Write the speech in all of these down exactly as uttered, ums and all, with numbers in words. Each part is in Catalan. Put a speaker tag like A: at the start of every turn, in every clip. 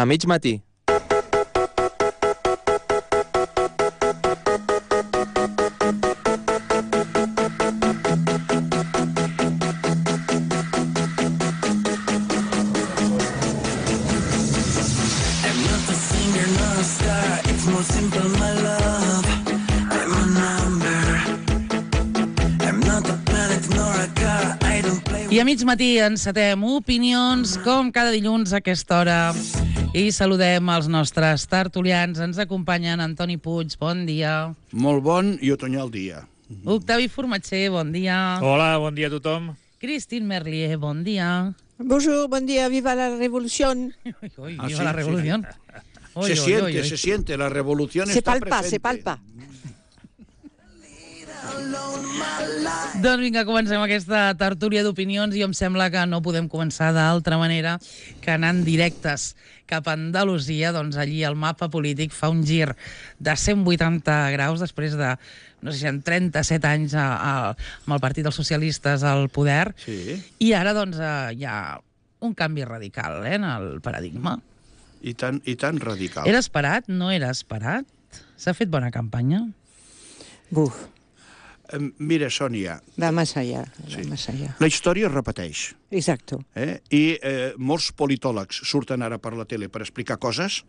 A: A mig matí.
B: I a mig matí encetem opinions, com cada dilluns a aquesta hora. I saludem els nostres tertulians. Ens acompanyen Antoni Puig, bon dia.
C: Molt bon i otoñal dia.
B: Octavi Formatger, bon dia.
D: Hola, bon dia a tothom.
B: Christine Merlier, bon dia.
E: Bonjour, bon dia, viva la revolución.
B: Uy, uy,
C: Ah,
B: viva
C: sí,
B: la revolución.
C: sí.
B: Uy,
C: Se
B: uy,
C: siente,
B: uy, uy.
C: se siente, la revolución
E: Se
C: está
E: palpa,
C: presente.
E: se palpa.
B: Doncs vinga, comencem aquesta tertúlia d'opinions i em sembla que no podem començar d'altra manera que anant directes cap a Andalusia. Doncs allí el mapa polític fa un gir de cent vuitanta graus després de, no sé si en trenta-set anys a, a, amb el Partit dels Socialistes al poder.
C: Sí.
B: I ara doncs eh, hi ha un canvi radical eh, en el paradigma.
C: I tan, i tan radical.
B: Era esperat? No era esperat? S'ha fet bona campanya?
E: Buf,
C: Eh, Mira, Sònia,
E: va más allá, va
C: Sí.
E: más allá.
C: la història es repeteix.
E: Exacto.
C: Eh? I eh, molts politòlegs surten ara per la tele per explicar coses,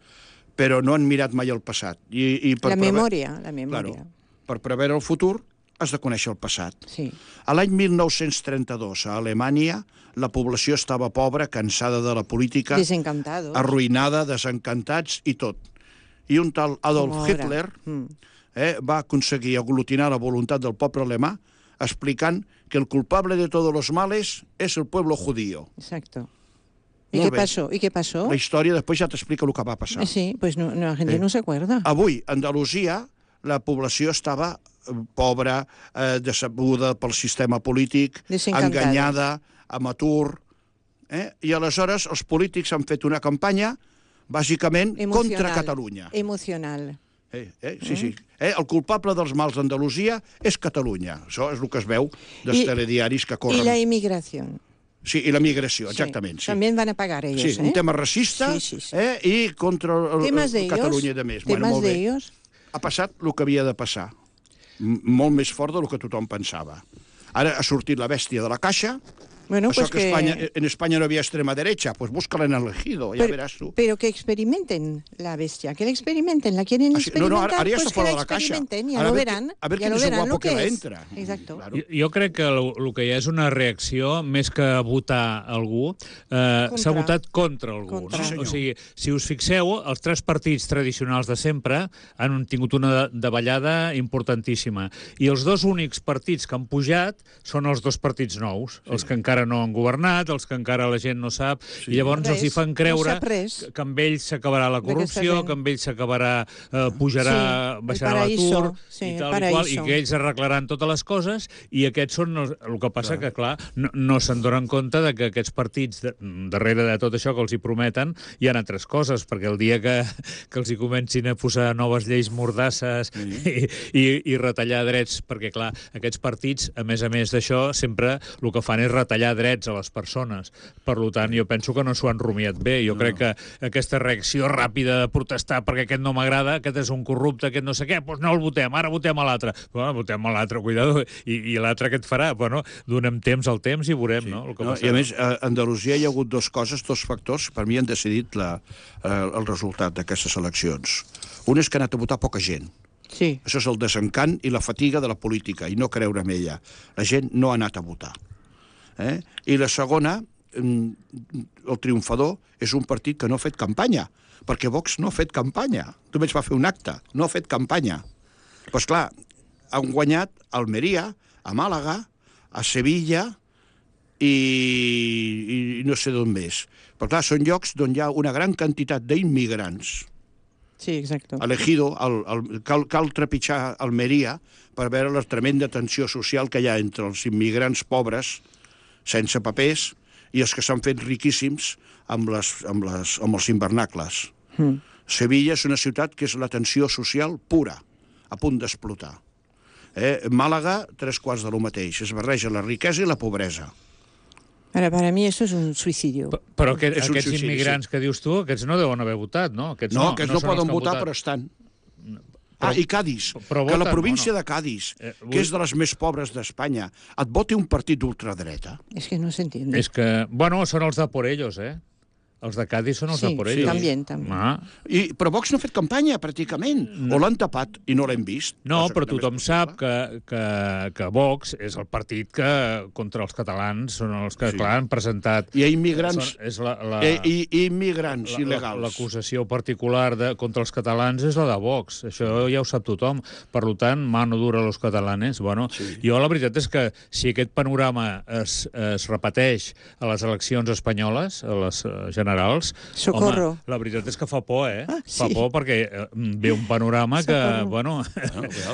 C: però no han mirat mai el passat. I, i per
E: La
C: preve-
E: memòria, la memòria.
C: Claro, per preveure el futur has de conèixer el passat.
E: Sí.
C: A l'any mil nou-cents trenta-dos, a Alemanya, la població estava pobra, cansada de la política,
E: Desencantados.
C: arruïnada, desencantats i tot. I un tal Adolf
E: Como ahora.
C: Hitler
E: Mm.
C: eh, va aconseguir aglutinar la voluntat del poble alemà explicant que el culpable de todos los males es el pueblo judío.
E: Exacto. ¿Y
C: Molt
E: qué
C: bé.
E: pasó? ¿Y qué pasó?
C: La història després ja t'explica el que va passar.
E: Eh, Sí, pues no, no, la gente
C: Eh.
E: no se acuerda.
C: Avui, a Andalusia, la població estava eh, pobra, eh, decebuda pel sistema polític,
E: Desencantada.
C: enganyada, amb atur. Eh? I aleshores els polítics han fet una campanya bàsicament
E: Emocional.
C: contra Catalunya.
E: Emocional.
C: Eh, eh, sí, sí. Eh, el culpable dels mals d'Andalusia és Catalunya. Això és el que es veu dels
E: I-
C: telediaris que
E: Y
C: corren.
E: la inmigración.
C: Sí, i la migració, exactament. Sí,
E: También van a pagar ellos,
C: sí
E: ¿eh?
C: un tema racista
E: Sí, sí, sí.
C: Eh, i contra el,
E: Temas de
C: el
E: ellos.
C: Catalunya de més.
E: Temas
C: molt
E: de
C: bé.
E: ellos.
C: Ha passat el que havia de passar. M molt més fort del que tothom pensava. Ara ha sortit la bèstia de la caixa.
E: Bueno,
C: Això
E: pues
C: que,
E: que...
C: Espanya, en Espanya no havia extrema derecha, pues búscala en el elegido, ja
E: Pero,
C: veràs tu.
E: pero que experimenten la bestia, que la experimenten, la quieren
C: Ah, sí. No,
E: experimentar,
C: no, ara- ara ja
E: pues
C: està
E: que
C: fora
E: la
C: de la caixa.
E: experimenten, ya
C: Ara
E: lo
C: a ver
E: verán,
C: qui- a ver
E: ya
C: quién
E: lo
C: es el
E: verán
C: guapo
E: lo
C: que
E: que
C: la
E: es.
C: entra.
E: Exacto.
C: Claro.
D: Jo, jo crec que el, el que hi ha és una reacció, més que votar algú, eh,
E: Contra.
D: s'ha votat contra algú.
E: Contra.
D: No?
C: Sí, senyor.
D: O sigui, si us fixeu, els tres partits tradicionals de sempre han tingut una davallada importantíssima. I els dos únics partits que han pujat són els dos partits nous, sí. els que encara no han governat, els que encara la gent no sap, sí. I llavors
E: Res,
D: els hi fan
E: no
D: creure
E: sap res.
D: que, que amb ells s'acabarà la
E: D'aquesta
D: corrupció,
E: gent.
D: que amb ells s'acabarà, eh, pujarà,
E: Sí, el
D: baixarà
E: paraíso,
D: l'atur,
E: sí,
D: i
E: el
D: tal i qual, i
E: paraíso.
D: que ells arreglaran totes les coses, i aquests són els, el que passa clar. que, clar, no, no se'n donen compte de que aquests partits, de, darrere de tot això que els hi prometen, hi ha altres coses, perquè el dia que, que els hi comencin a posar noves lleis mordasses sí. i, i, i retallar drets, perquè, clar, aquests partits, a més a més d'això, sempre el que fan és retallar drets a les persones. Per tant, jo penso que no s'ho han rumiat bé. Jo no. crec que aquesta reacció ràpida de protestar perquè aquest no m'agrada, aquest és un corrupte, aquest no sé què, doncs no el votem, ara votem a l'altre. Bueno, votem a l'altre, cuidado, i, i l'altre què et farà? Bueno, donem temps al temps i veurem, sí. no? El que
C: No, I a més, a Andalusia hi ha hagut dues coses, dos factors, per mi han decidit la, eh, el resultat d'aquestes eleccions. Un és que ha anat a votar poca gent.
E: Sí.
C: Això és el desencant i la fatiga de la política, i no creure en ella. La gent no ha anat a votar. Eh? I la segona, el triomfador és un partit que no ha fet campanya, perquè Vox no ha fet campanya. Només va fer un acte, no ha fet campanya. Doncs pues clar, han guanyat a Almeria, a Màlaga, a Sevilla i, i no sé d'on més. Però clar, són llocs on hi ha una gran quantitat d'immigrants.
E: Sí, exacto.
C: Elegido, el, el, cal, cal trepitjar Almeria per veure la tremenda tensió social que hi ha entre els immigrants pobres, sense papers, i els que s'han fet riquíssims amb, les, amb, les, amb els invernacles. Mm. Sevilla és una ciutat que és la tensió social pura, a punt d'explotar. Eh? Màlaga, tres quarts de lo mateix. Es barreja la riquesa i la pobresa.
E: Para, para mí eso es un suicidio.
D: P- Però aquest,
C: És un
D: aquests
C: suïcidi,
D: immigrants que dius tu, aquests no deuen haver votat, no? Aquests
C: No,
D: no,
C: que no,
D: són els
C: poden
D: que han
C: votar,
D: votat.
C: però estan.
D: Però-
C: Ah, i Cádiz,
D: però
C: que la
D: voten,
C: província
D: o no?
C: de Cádiz,
D: Eh, vull-
C: que és de les més pobres d'Espanya, et voti un partit d'ultradreta.
E: Es que no se entiende.
D: És que, bueno, són els de por ellos, eh? Els de Cádiz són els
E: Sí,
D: de por
E: sí,
D: ellos.
E: també, també.
D: Ah.
C: I, però Vox no ha fet campanya, pràcticament. No. O l'han tapat i no l'hem vist.
D: No,
C: Cosa
D: però
C: que també
D: tothom
C: és
D: sap
C: possible.
D: que, que, que Vox és el partit que contra els catalans són els que,
C: Sí.
D: clar, han presentat...
C: Hi ha immigrants,
D: Són, és la, la,
C: eh, i, i immigrants
D: la- la-
C: il·legals.
D: L'acusació particular de, contra els catalans és la de Vox. Això ja ho sap tothom. Per tant, mano dura a los catalanes. Bueno,
C: Sí.
D: jo la veritat és que si aquest panorama es, es repeteix a les eleccions espanyoles, a les eh, generals,
E: Socorro.
D: home, la veritat és que fa por, eh?
E: Ah,
D: Fa
E: sí.
D: por perquè eh, ve un panorama que,
E: Socorro.
D: bueno...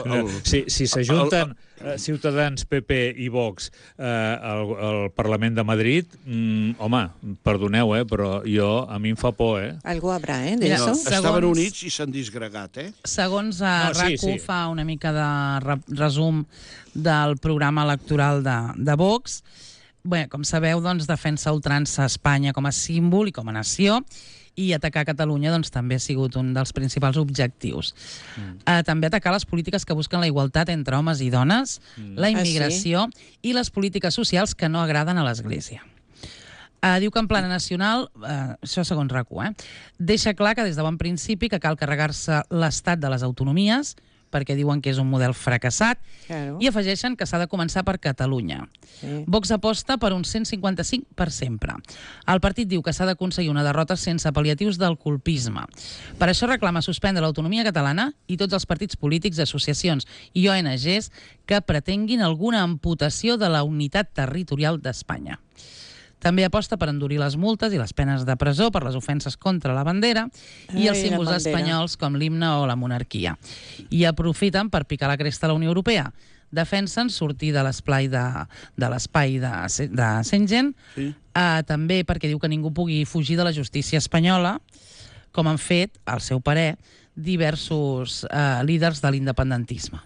C: el- el-
D: si si s'ajunten eh, Ciutadans, P P i Vox eh, al, al Parlament de Madrid, mm, home, perdoneu, eh, però jo, a mi em fa por, eh?
E: Algo habrá, ¿eh? De
B: Mira,
E: eso.
B: Segons-
C: Estaven units i s'han disgregat, eh?
B: Segons eh,
D: No, sí,
B: RAC u
D: sí.
B: fa una mica de re resum del programa electoral de, de Vox. Bé, com sabeu, doncs, defensa a ultrança Espanya com a símbol i com a nació, i atacar Catalunya doncs, també ha sigut un dels principals objectius. Mm. Uh, també atacar les polítiques que busquen la igualtat entre homes i dones, mm. la immigració ah, sí? i les polítiques socials que no agraden a l'Església. Uh, diu que en plana nacional, uh, això segons RAC u, eh, deixa clar que des de bon principi que cal carregar-se l'estat de les autonomies, perquè diuen que és un model fracassat,
E: Claro.
B: i afegeixen que s'ha de començar per Catalunya.
E: Sí.
B: Vox aposta per un cent cinquanta-cinc per sempre. El partit diu que s'ha d'aconseguir una derrota sense pal·liatius del colpisme. Per això reclama suspendre l'autonomia catalana i tots els partits polítics, associacions i O N Ges que pretenguin alguna amputació de la unitat territorial d'Espanya. També aposta per endurir les multes i les penes de presó per les ofenses contra la bandera i
E: Ai,
B: els
E: la
B: símbols
E: bandera.
B: espanyols com l'himne o la monarquia. I aprofiten per picar la cresta a la Unió Europea. Defensen sortir de l'espai de, de l'espai de, de Schengen,
C: Sí.
B: eh, també perquè diu que ningú pugui fugir de la justícia espanyola, com han fet, al seu parer, diversos eh, líders de l'independentisme.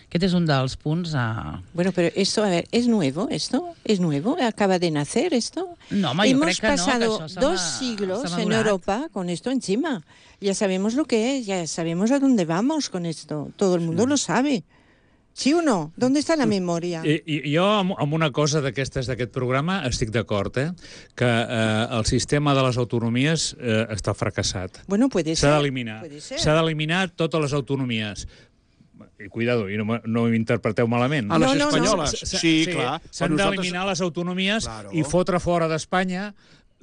B: Aquest és un dels punts... Eh...
E: Bueno, pero esto, a ver, ¿es nuevo esto? ¿Es nuevo? ¿Acaba de nacer esto?
B: No, home, jo
E: Hemos
B: crec que no, que
E: pasado
B: això s'ha
E: dos
B: ma-
E: siglos
B: s'ha
E: en
B: madurat.
E: Europa con esto encima. Ya sabemos lo que es, ya sabemos a dónde vamos con esto. Todo el mundo lo sabe. ¿Sí o no? ¿Dónde está la memoria?
D: I, i jo amb, amb una cosa d'aquestes d'aquest programa estic d'acord, eh? Que eh, el sistema de les autonomies eh, està fracassat.
E: Bueno, puede ser.
D: S'ha d'eliminar.
E: Puede ser.
D: S'ha d'eliminar totes les autonomies. I cuidado, i no, me- no m'interpreteu malament.
C: A les
E: No, no, no.
C: espanyoles,
D: S-
C: sí, clar.
D: S'han
C: Però nosaltres-
D: d'eliminar les autonomies
C: Claro.
D: i fotre fora d'Espanya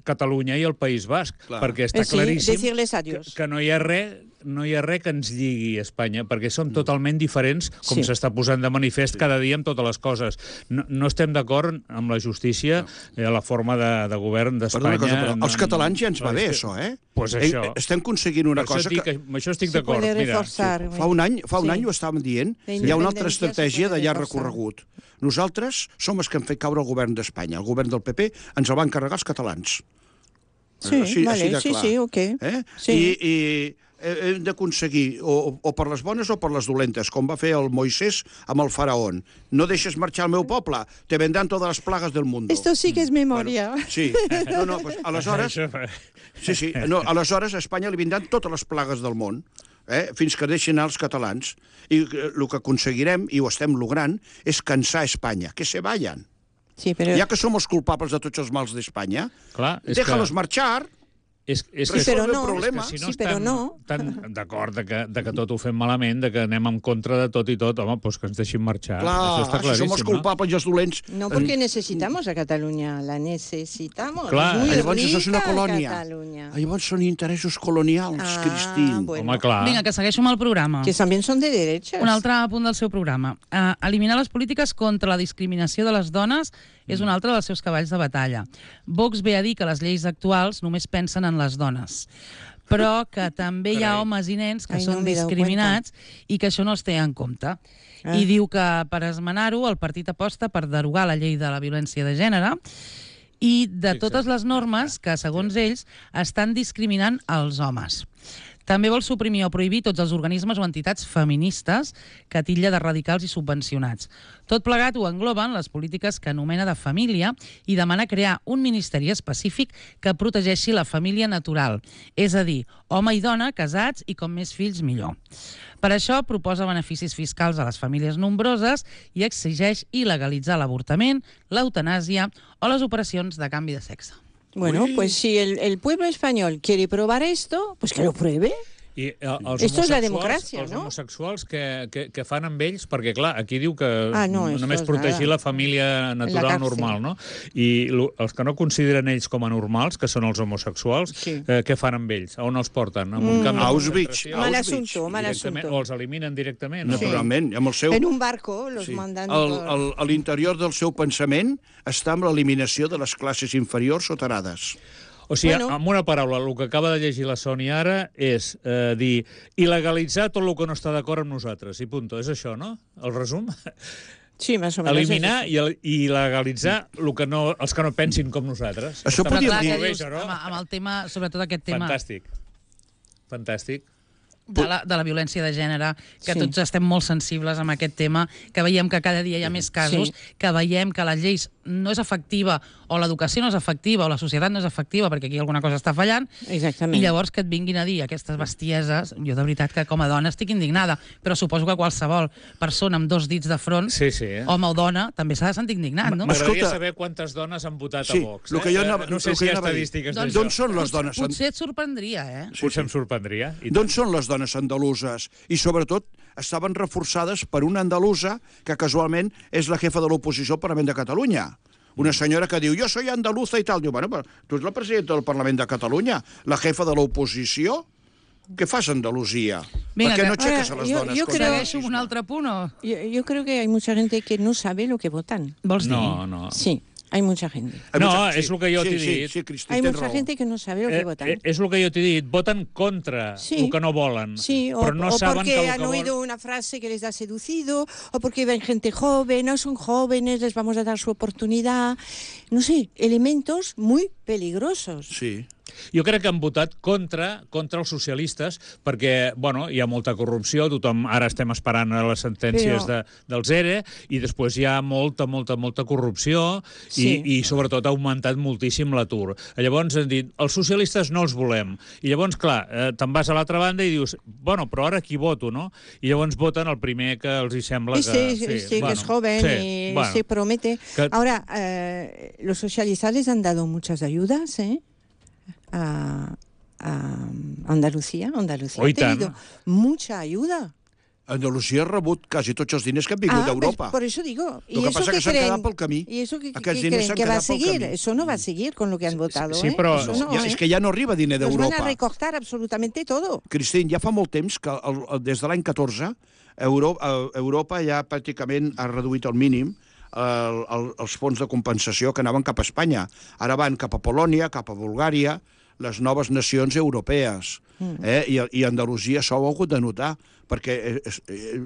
D: Catalunya i el País Basc,
C: Clar.
D: perquè està
E: Eh, sí,
D: claríssim
E: decirles
D: que,
E: adiós.
D: que no hi ha res no hi ha res que ens lligui a Espanya, perquè som totalment diferents, com
E: Sí.
D: s'està posant de manifest cada dia amb totes les coses. No, no estem d'acord amb la justícia, eh, la forma de, de govern
C: Perdona
D: d'Espanya.
C: una cosa, però
D: No-
C: als catalans ja ens va
D: no,
C: bé,
D: és que-
C: això, eh?
D: Pues
C: Eh,
D: això.
C: eh, Estem aconseguint una
D: Per això
C: cosa
D: dic
C: que...
D: que... Amb això estic
E: Se
D: d'acord.
E: puede
D: Mira,
E: reforzar.
C: Fa un any, fa un
E: Sí.
C: any ho estàvem dient,
E: La
C: hi ha una altra
E: independència se
C: estratègia
E: puede
C: de llarg
E: reforçar.
C: recorregut. Nosaltres som els que hem fet caure el govern d'Espanya. El govern del P P ens el van carregar els catalans.
E: Sí,
C: Així-
E: vale,
C: així de
E: sí,
C: clar.
E: sí, ok.
C: Eh?
E: Sí.
C: I, i eh, hem d'aconseguir, o, o per les bones o per les dolentes, com va fer el Moisès amb el faraón. No deixes marxar el meu poble, te vendran totes les plagues del món.
E: Esto sí que es memoria.
C: Bueno, sí, no, no, pues, aleshores,
D: Això-
C: sí, sí, no, aleshores a Espanya li vindran totes les plagues del món, eh, fins que deixin anar els catalans. I eh, el que aconseguirem, i ho estem logrant, és cansar Espanya, que se vayan.
E: Sí, pero...
C: Ja que som els culpables de tots els mals d'Espanya,
D: Clar, és
C: déjalos
D: que...
C: marxar.
D: És, és
E: Sí,
D: que,
E: però
C: resolve
E: no,
C: el problema.
D: és que si no
E: Sí, però
D: estan
E: no.
D: tan d'acord de que, de que tot ho fem malament, de que anem en contra de tot i tot, home, doncs que ens deixin marxar.
C: Clar,
D: Això està
C: si som els
D: claríssim,
C: culpables i els dolents...
E: No, porque necesitamos a Cataluña, la necesitamos.
D: Clar,
E: es muy
C: Llavors això és una
E: rica
C: colònia.
E: Catalunya.
C: Llavors són interessos colonials,
E: Ah,
C: Cristín.
E: bueno.
D: Home, clar.
B: Vinga, que segueixo amb el programa.
E: Que también son de derechas.
B: Un altre punt del seu programa. Uh, eliminar les polítiques contra la discriminació de les dones és un altre dels seus cavalls de batalla. Vox ve a dir que les lleis actuals només pensen en les dones, però que també hi ha
D: Carai.
B: homes i nens que
E: Ai, no
B: són
E: m'he dado
B: discriminats i que això no es té en compte.
E: Ah.
B: I diu que per esmenar-ho el partit aposta per derogar la llei de la violència de gènere i de
D: Fixa't.
B: totes les normes que, segons ells, estan discriminant els homes. També vol suprimir o prohibir tots els organismes o entitats feministes que titlla de radicals i subvencionats. Tot plegat ho engloben les polítiques que anomena de família i demana crear un ministeri específic que protegeixi la família natural, és a dir, home i dona, casats i com més fills millor. Per això proposa beneficis fiscals a les famílies nombroses i exigeix il·legalitzar l'avortament, l'eutanàsia o les operacions de canvi de sexe.
E: Bueno, pues si el, el pueblo español quiere probar esto, pues que lo pruebe.
D: I eh, els
E: Esto es la
D: homosexuals,
E: democràcia,
D: els
E: no?
D: homosexuals que, que, que fan amb ells, perquè clar, aquí diu que
E: Ah, no, esto
D: només
E: es
D: protegir
E: nada.
D: la família natural
E: cárcel.
D: normal, no? I lo, els que no consideren ells com a normals, que són els homosexuals,
E: Sí.
D: eh, què fan amb ells? A on els porten? En un camp de
C: Auschwitz.
D: concentració?
E: Mal
C: Auschwitz,
E: asunto, mal
D: Directament,
E: asunto.
D: o els eliminen directament? no?
C: Naturalment, amb el seu...
E: En un barco los
C: Sí.
E: mandan
C: El,
E: por...
C: el, a l'interior del seu pensament està amb l'eliminació de les classes inferiors o tarades.
D: O sigui,
E: Bueno.
D: amb una paraula, el que acaba de llegir la Sònia ara és eh, dir il·legalitzar tot el que no està d'acord amb nosaltres, i punto. És això, no? El resum?
E: Sí, más o menos.
D: Eliminar
E: es
D: i, el- i legalitzar el que no, els que no pensin com nosaltres.
C: Això
D: Està
B: Però
C: podríem
B: clar,
C: dir-
B: que
D: molt
B: dius,
D: bé, això, no?
B: amb, amb el tema, sobretot aquest tema
D: Fantàstic. Fantàstic.
B: de la, de la violència de gènere, que
E: Sí.
B: tots estem molt sensibles amb aquest tema, que veiem que cada dia hi ha més casos,
E: Sí.
B: que veiem que la llei no és efectiva, o l'educació no és efectiva, o la societat no és efectiva, perquè aquí alguna cosa està fallant,
E: Exactament.
B: i llavors que et vinguin a dir aquestes bestieses, jo de veritat que com a dona estic indignada, però suposo que qualsevol persona amb dos dits de front,
D: Sí, sí. Eh?
B: home o dona, també s'ha de sentir indignat, no?
D: M'agradaria
C: Escolta-
D: saber quantes dones han votat
C: Sí,
D: a Vox.
C: el
D: Eh?
C: que jo anava-
D: no sé
C: el que
D: si hi ha
C: jo anava a dir.
D: estadístiques
B: Doncs-
D: d'això.
C: D'on són les dones?
B: Potser et sorprendria, eh?
D: Potser em sorprendria. I
C: D'on són les dones andaluses? I sobretot estaven reforçades per una andalusa que casualment és la jefa de l'oposició al Parlament de Catalunya. Una senyora que diu, jo soy andaluza i tal. Diu, bueno, però tu ets la presidenta del Parlament de Catalunya, la jefa de l'oposició. Què fas a Andalusia?
B: Vinga,
C: Per què
B: que-
C: no aixeques a les
E: Ara, jo-
C: dones?
E: jo
C: contra
E: creo-
C: el
B: Segueixo amb un
C: racisme?
B: altre punt, o?
E: Yo, yo creo que hay mucha gente que no sabe lo que votan.
B: Vols dir?
D: No, no.
E: Sí, hay mucha gente.
D: No,
C: Sí,
D: és el que jo
C: sí,
D: t'he
C: sí,
D: dit.
C: Sí, Cristi,
E: Hay
C: tens
E: mucha
C: raó.
E: gente que no sabe lo que
D: Eh,
E: votan.
D: eh, és el que jo t'he dit. Voten contra
E: Sí.
D: el que no volen.
E: Sí, o,
D: però no
E: o
D: saben
E: porque
D: que el
E: han
D: que
E: oído
D: vol...
E: una frase que les ha seducido, o porque ven gente joven, no son jóvenes, les vamos a dar su oportunidad. No sé, elementos muy peligrosos.
C: Sí.
D: Jo crec que han votat contra contra els socialistes perquè, bueno, hi ha molta corrupció, tothom ara estem esperant a les sentències
E: Però-
D: de, dels E R E i després hi ha molta, molta, molta corrupció
E: Sí.
D: i, i sobretot ha augmentat moltíssim l'atur. Llavors han dit, els socialistes no els volem. I llavors, clar, eh, te'n vas a l'altra banda i dius, bueno, però ara qui voto, no? I llavors voten el primer que els hi sembla
E: Este,
D: que...
E: este
D: bueno,
E: que es joven
D: sí,
E: y
D: bueno.
E: se promete.
D: Que-
E: Ahora, eh, los socialistas les han dado muchas ayudas, ¿eh? A, a Andalucía. Andalucía
D: Oh,
E: ha
D: i tant.
E: tenido mucha ayuda.
C: Andalusia ha rebut quasi tots els diners que han vingut
E: Ah,
C: d'Europa.
E: pues por eso digo.
C: Lo que pasa
E: qué
C: que s'han
E: creen?
C: quedat pel camí.
E: ¿Y eso qué,
C: Aquests
E: qué
C: diners
E: creen?
C: s'han
E: ¿Que va a
C: quedat pel
E: seguir?
C: camí.
E: Eso no va a seguir con lo que han votado,
D: sí,
E: ¿eh?
D: però-
E: Eso no,
C: Ja,
E: ¿eh?
C: és que ja no arriba diner
E: Nos van
C: d'Europa.
E: a recortar absolutamente todo.
C: Cristín, ja fa molt temps que el, el, des de l'any catorze Euro, eh, Europa ja pràcticament ha reduït al mínim el, el, els fons de compensació que anaven cap a Espanya. Ara van cap a Polònia, cap a Bulgària, les noves nacions europees. Eh? I, I Andalusia s'ho ha hagut de notar, perquè eh, eh,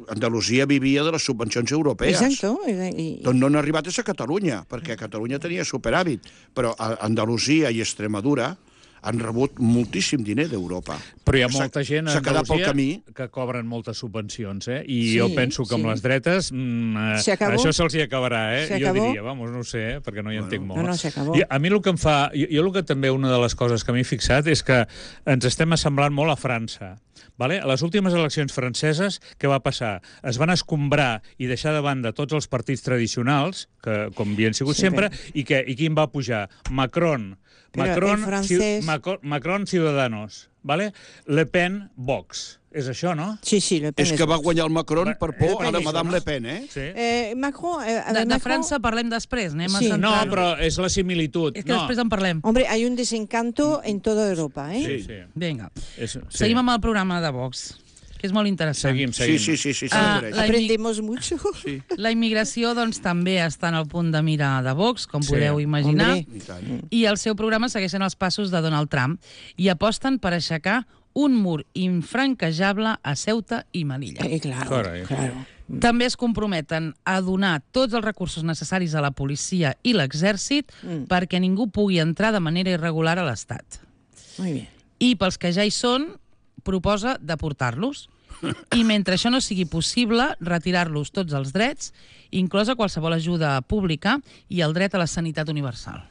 C: Andalusia vivia de les subvencions europees.
E: Exacto. y- y-
C: Doncs no han arribat a ser Catalunya, perquè Catalunya tenia superàvit, però a Andalusia i Extremadura han rebut moltíssim diner d'Europa.
D: Però hi ha
C: S'ha-
D: molta gent a
C: s'ha quedat pel
D: Andalusia
C: camí.
D: que cobren moltes subvencions, eh? I
E: Sí,
D: jo penso que amb
E: sí.
D: les dretes mm, eh,
E: Se acabó.
D: això se'ls hi acabarà, eh?
E: Se
D: Jo
E: acabó.
D: diria, vamos, no ho sé, eh? perquè no hi
C: Bueno.
D: entenc molt.
E: No, no, se acabó.
D: I a mi el que em fa... Jo, jo el que també, una de les coses que m'he fixat és que ens estem assemblant molt a França. Vale? A les últimes eleccions franceses, què va passar? Es van escombrar i deixar de banda tots els partits tradicionals, que com havien sigut
E: Sí,
D: sempre,
E: bé.
D: i, que, i quin va pujar? Macron.
E: Però
D: Macron,
E: el francès-
D: Ci- Macron, Macron Ciudadanos. Vale? Le Pen, Vox. És això, no?
E: Sí, sí, Le Pen
C: És
E: es
C: que va
E: Vox.
C: guanyar el Macron
D: Va-
C: per
D: és
C: por a la
D: això,
C: Madame
D: no?
C: Le Pen, eh?
D: Sí.
E: Eh, Macron, eh, a
B: De,
E: ver,
B: de
E: Macron-
B: França parlem després, anem a
E: Sí.
B: centrar...
D: No, però és la similitud.
B: És que
D: no.
B: després en parlem.
E: Hombre, hay un desencanto en toda Europa, ¿eh?
D: Sí, sí.
B: Vinga.
D: És, sí.
B: Seguim amb el programa de Vox, que és molt interessant.
D: Seguim,
C: Sí,
D: seguim.
C: sí, sí, sí,
B: Ah,
C: sempre.
B: la-
E: Aprendemos mucho.
C: Sí,
B: La immigració, doncs, també està en el punt de mira de Vox, com
D: Sí.
B: podeu imaginar.
E: Hombre.
C: i tant.
B: I el seu programa segueixen els passos de Donald Trump i aposten per aixecar un mur infranquejable a Ceuta i Melilla.
E: Eh, claro,
D: Caray.
E: claro.
B: També es comprometen a donar tots els recursos necessaris a la policia i l'exèrcit
E: Mm.
B: perquè ningú pugui entrar de manera irregular a l'Estat.
E: Muy bien.
B: I pels que ja hi són, proposa deportar-los. I mentre això no sigui possible, retirar-los tots els drets, inclosa qualsevol ajuda pública i el dret a la sanitat universal.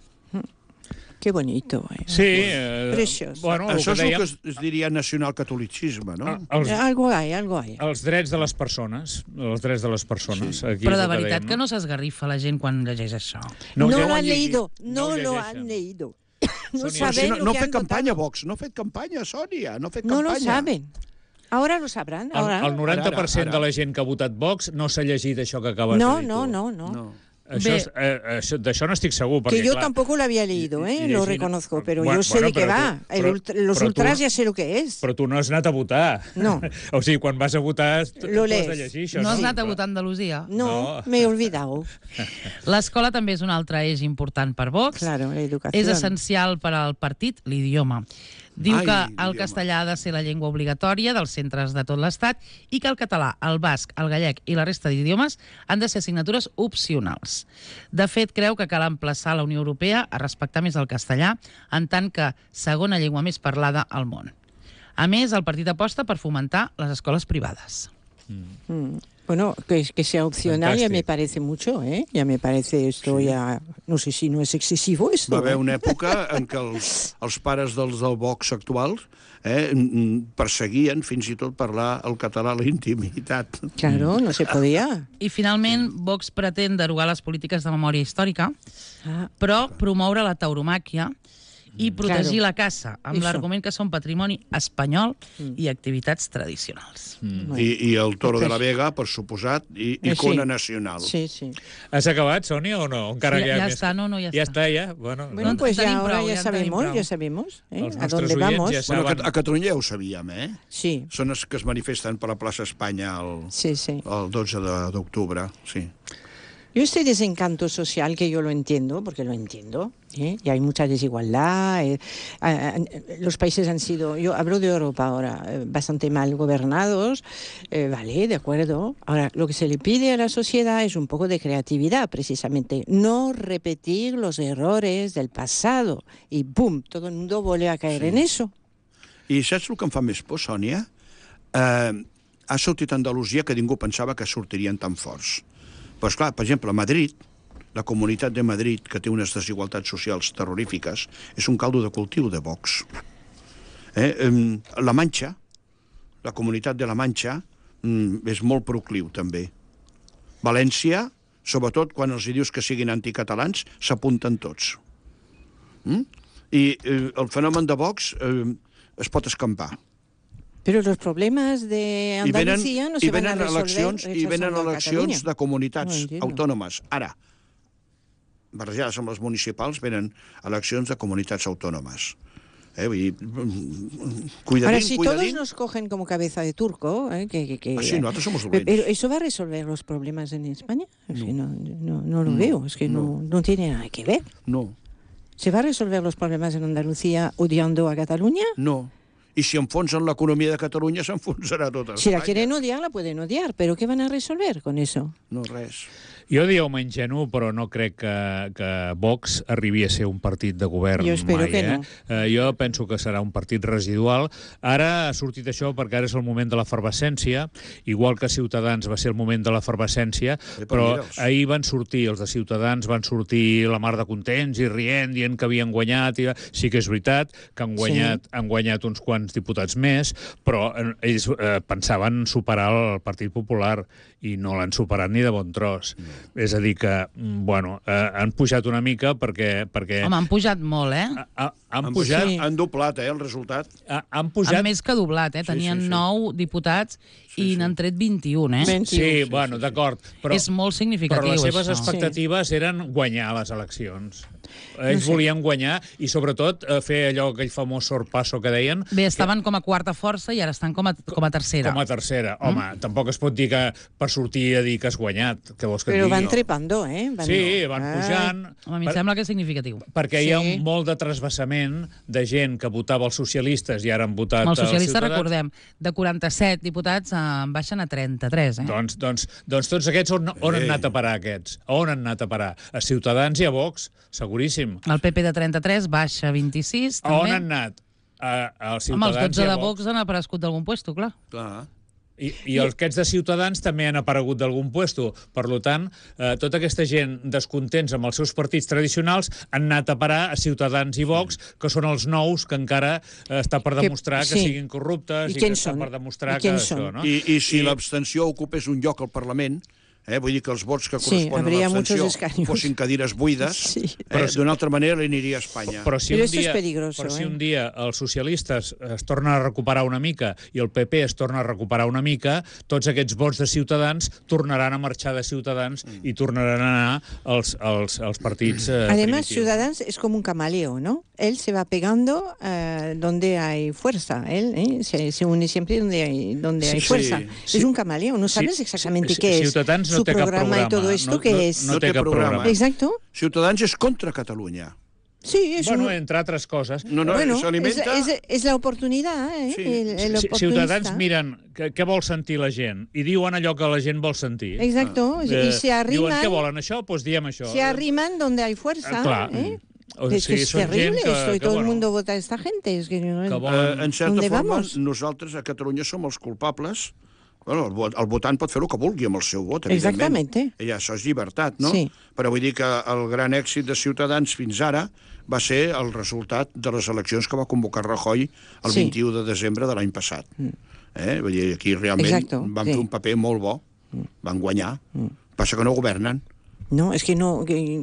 E: Que bonito, eh?
D: Sí. Eh,
E: Preciós.
D: Bueno,
C: Això és
D: dèiem,
C: el que es, es diria nacionalcatolicisme, no?
D: els,
E: Algo hay, algo hay.
D: els drets de les persones. Els drets de les persones.
C: Sí.
D: Aquí
B: Però
D: és
B: de
D: el
B: veritat
D: dèiem,
B: que no s'esgarrifa la gent quan llegeix això.
E: No,
D: No,
E: lo
D: no
E: han
C: llegit.
E: leído,
D: No
E: no
D: ho
E: lo
D: llegeixen.
E: han leído. No
D: Sonia,
E: saben
C: Si no,
E: lo
C: no
E: que
C: ha
E: han
C: fet campanya,
E: votado.
C: Vox. No ha fet campanya, Sònia. No ha fet
E: No
C: campanya.
E: lo saben. Ahora lo sabrán.
D: El,
E: Ahora.
D: el noranta per cent
C: Ara, ara.
D: de la gent que ha votat Vox no s'ha llegit això que acabes
E: No,
D: de dir
E: no,
D: tu.
E: no, no.
C: No.
D: Això,
B: Bé.
D: és, eh, això, d'això no estic segur. Perquè,
E: Que yo
D: clar,
E: tampoco lo había leído, ¿eh?
D: i- i
E: Lo
D: llegint-
E: reconozco, pero
D: Bueno,
E: yo sé
D: bueno,
E: de qué
D: pero
E: va.
D: tú-
E: El
D: pero-
E: ultra- los
D: pero tú-
E: ultras ya sé lo que es.
D: Però tu no has anat a votar.
E: No.
D: O sigui, quan vas a votar, tu
E: Lo
D: tu has de
E: lees.
D: llegir això.
B: No has
D: sí,
B: anat a
D: clar.
B: votar a Andalusia?
E: No,
D: No.
E: me he olvidado.
B: L'escola també és un altre eix important per Vox.
E: Claro, la educación.
B: És essencial per al partit l'idioma. Diu
C: Ai,
B: que el
C: l'idioma.
B: castellà ha de ser la llengua obligatòria dels centres de tot l'Estat i que el català, el basc, el gallec i la resta d'idiomes han de ser assignatures opcionals. De fet, creu que cal emplaçar la Unió Europea a respectar més el castellà en tant que segona llengua més parlada al món. A més, el partit aposta per fomentar les escoles privades.
E: Mm. Bueno, que, que sea opcional ya
D: Fantástico.
E: me parece mucho, ¿eh? Ya me parece esto ya... No sé si no es excesivo esto.
C: Va haver
E: ¿eh?
C: una època en què els, els pares dels del Vox actuals eh, mm, perseguien fins i tot parlar el català a la intimitat.
E: Claro, no se podía.
B: I finalment, Vox pretén derogar les polítiques de memòria històrica,
E: Ah,
B: però promoure la tauromàquia i protegir
E: Claro.
B: la caça, amb
E: Eso.
B: l'argument que són patrimoni espanyol i activitats tradicionals.
E: bueno.
C: I, I el Toro de la
E: Pues-
C: Vega, per suposat, i
E: Eh,
C: icona
E: sí.
C: nacional.
E: Sí, sí.
D: Has acabat, Sònia, o no? Encara
B: Ja-
D: que hi ha
B: ja
D: més-
B: està, no, no, ja
D: Ja
B: està.
D: està, ja? Bueno,
E: Bueno,
B: No,
E: pues
B: en
E: ya
B: tenim
E: ahora
B: prou,
E: ya
B: ja en tenim
E: sabemos,
B: prou.
E: ya sabemos ¿eh?
D: Els
E: a
D: nostres
E: dónde
D: oients
E: vamos.
D: ja
C: Bueno,
D: saben.
C: a, a Catalunya ja ho sabíem, eh?
E: Sí,
C: Són els que es manifesten per la plaça Espanya el,
E: sí, sí.
C: el dotze de- d'octubre, sí.
E: Yo este desencanto social, que yo lo entiendo, porque lo entiendo, ¿eh? Y hay mucha desigualdad. eh, ah, ah, los países han sido, yo hablo de Europa ahora, eh, bastante mal gobernados, eh, vale, de acuerdo. Ahora, lo que se le pide a la sociedad es un poco de creatividad, precisamente. No repetir los errores del pasado. Y ¡pum! Todo el mundo vuelve a caer
C: Sí.
E: en eso.
C: I saps el que em fa més por, Sònia? Eh, ha sortit a Andalusia que ningú pensava que sortirien tan forts. Però, esclar, per exemple, a Madrid, la comunitat de Madrid, que té unes desigualtats socials terrorífiques, és un caldo de cultiu de Vox. Eh? Eh, la Manxa, la comunitat de la Manxa, mm, és molt procliu, també. València, sobretot quan els hi dius que siguin anticatalans, s'apunten tots. Mm? I eh, el fenomen de Vox eh, es pot escampar.
E: Pero los problemas de
C: I venen,
E: Andalucía no
C: i
E: se van a
C: venen
E: resolver
C: eleccions, i venen
E: rechazando a
C: eleccions
E: Cataluña.
C: de comunitats
E: No entiendo.
C: autònomes. Ara, barrejades amb les municipals, venen eleccions de comunitats autònomes. Eh, vull dir, mm, cuidadín,
E: Ahora, si todos
C: cuidadín.
E: nos cogen como cabeza de turco, ¿eh? que, que, que-
C: Ah, sí, nosotros somos
E: Pe-
C: dolents.
E: Pero ¿eso va a resolver los problemas en España? Es que no, no, no lo
C: No,
E: veo, es que no. No, tiene nada que ver.
C: No,
E: ¿Se va a resolver los problemas en Andalucía odiando a Cataluña?
C: no. I si enfonsen l'economia de Catalunya, s'enfonsarà tota
E: Si la
C: Espanya.
E: quieren odiar, la pueden odiar, pero ¿qué van a resolver con eso?
C: No, res.
D: Jo diria home ingenu, però no crec que, que Vox arribi a ser un partit de govern
E: Jo espero
D: mai.
E: que
D: eh?
E: no.
D: Eh, jo penso que serà un partit residual. Ara ha sortit això perquè ara és el moment de l'efervescència, igual que Ciutadans va ser el moment de l'efervescència,
C: Eh, però
D: però
C: mira'ls.
D: ahir van sortir, els de Ciutadans van sortir la mar de contents i rient, dient que havien guanyat. I... Sí que és veritat que han guanyat, sí. han guanyat uns quants diputats més, però eh, ells eh, pensaven superar el Partit Popular i no l'han superat ni de bon tros. Mm. És a dir que, mm, bueno, eh, han pujat una mica perquè... perquè
B: Home, han pujat molt, eh?
D: ha, ha, han
C: Han,
D: pujat...
E: Sí.
C: han doblat, eh, el resultat.
D: Ha, han
B: Han
D: pujat...
B: més que doblat, eh?
C: Sí,
B: Tenien
C: sí, sí.
B: nou diputats
C: Sí,
B: i
C: sí.
B: n'han tret vint-i-un, eh?
E: Ben-
D: Sí,
E: Sí,
D: bueno,
C: sí, sí.
D: d'acord. Però,
B: És molt significatiu,
D: però les seves
B: això.
D: expectatives eren guanyar les eleccions. Ells
E: No sé.
D: volien guanyar i, sobretot, eh, fer allò, aquell famós sorpasso que deien,
B: Bé, estaven com a quarta força i ara estan com a, com a tercera.
D: com a tercera. Home, tampoc es pot dir que per sortir a dir que has guanyat. Què vols que et
E: Pero
D: digui?
E: van trepando, ¿eh? Van-
D: Sí, van
E: Ay,
D: pujant.
B: Home, a mi em
D: Per-
B: sembla que és significatiu.
D: perquè hi ha
E: Sí.
D: un molt de trasbassament de gent que votava els socialistes i ara han votat
B: Amb els socialistes,
D: Ciutadans.
B: recordem, de quaranta-set diputats eh, baixen a trenta-tres, eh?
D: Doncs, doncs, doncs tots aquests on, on han
C: Ei.
D: anat a parar, aquests? A on han anat a parar? A Ciutadans i a Vox, seguríssim.
B: El P P de trenta-tres baixa a vint-i-sis,
D: A on
B: també.
D: han anat? Uh, els
B: Home, els
D: Ciutadans
B: dotze
D: i a
B: de
D: Vox...
B: Vox han aparegut d'algun puesto, clar.
C: Clar.
D: I, I els aquests de Ciutadans també han aparegut d'algun puesto. Per tant, eh, tota aquesta gent descontents amb els seus partits tradicionals han anat a parar a Ciutadans i Vox, que són els nous que encara eh, està per demostrar que, que
E: sí.
D: siguin corruptes
E: i,
D: i que
E: està
D: per demostrar
E: I
D: que
E: són?
D: això, no?
C: I, i si I... l'abstenció ocupés un lloc al Parlament, eh, vull dir que els vots que corresponen
E: sí,
C: a l'abstenció fossin cadires buides,
E: sí.
C: eh, d'una altra manera li aniria a Espanya.
D: Però si,
E: Però
D: un dia,
E: és peligroso,
D: però si
E: eh?
D: un dia els socialistes es tornen a recuperar una mica i el P P es torna a recuperar una mica, tots aquests vots de Ciutadans tornaran a marxar de Ciutadans mm. i tornaran a anar als, als, als partits eh,
E: Además,
D: primitius.
E: Ciudadanos es como un camaleo, ¿no? Él se va pegando uh, donde hay fuerza, él ¿eh? se, se une siempre donde hay, donde
C: sí,
E: hay fuerza.
C: Sí,
E: es
C: sí.
E: un camaleo, no sabes
D: sí,
E: exactamente
D: sí,
E: qué
D: sí,
E: es
D: Ciutadans no
E: su
D: té cap
E: programa,
D: programa
E: y todo esto,
D: no,
E: que
D: no,
E: es...
D: No, no té cap programa. programa.
E: Exacto.
C: Ciutadans és contra Catalunya.
E: Sí, es
D: bueno,
E: un...
D: entre altres coses.
C: No, no,
E: bueno,
C: s'alimenta...
E: es, es, es la oportunidad, ¿eh?
C: Sí.
E: El, el
D: Si, Ciutadans miren què, què vol sentir la gent i diuen allò que la gent vol sentir.
E: Exacto, ah.
D: Eh,
E: y se arriman...
D: Diuen què volen això? Doncs pues diem això.
E: Se arriman donde hay fuerza,
D: eh, clar.
E: ¿eh?
D: O
E: Es
D: sigui,
E: que es
D: són
E: terrible
D: gent que,
E: esto, y
D: que,
E: todo
D: bueno,
E: el mundo vota a esta gente. Es que no...
D: que
C: Eh,
D: volen...
C: en certa
E: ¿Dónde
C: forma,
E: vamos?
C: nosaltres a Catalunya som els culpables. Bueno, el, vot, el votant pot fer el que vulgui amb el seu vot, evidentment.
E: Exactament.
C: I això és llibertat, no?
E: Sí.
C: Però vull dir que el gran èxit de Ciutadans fins ara va ser el resultat de les eleccions que va convocar Rajoy el
E: sí.
C: vint-i-u de desembre de l'any passat. Mm. Eh? Vull dir, aquí realment
E: Exacto,
C: van
E: sí.
C: fer un paper molt bo, van guanyar. Mm. Passa que no governen.
E: No, es que no... Que...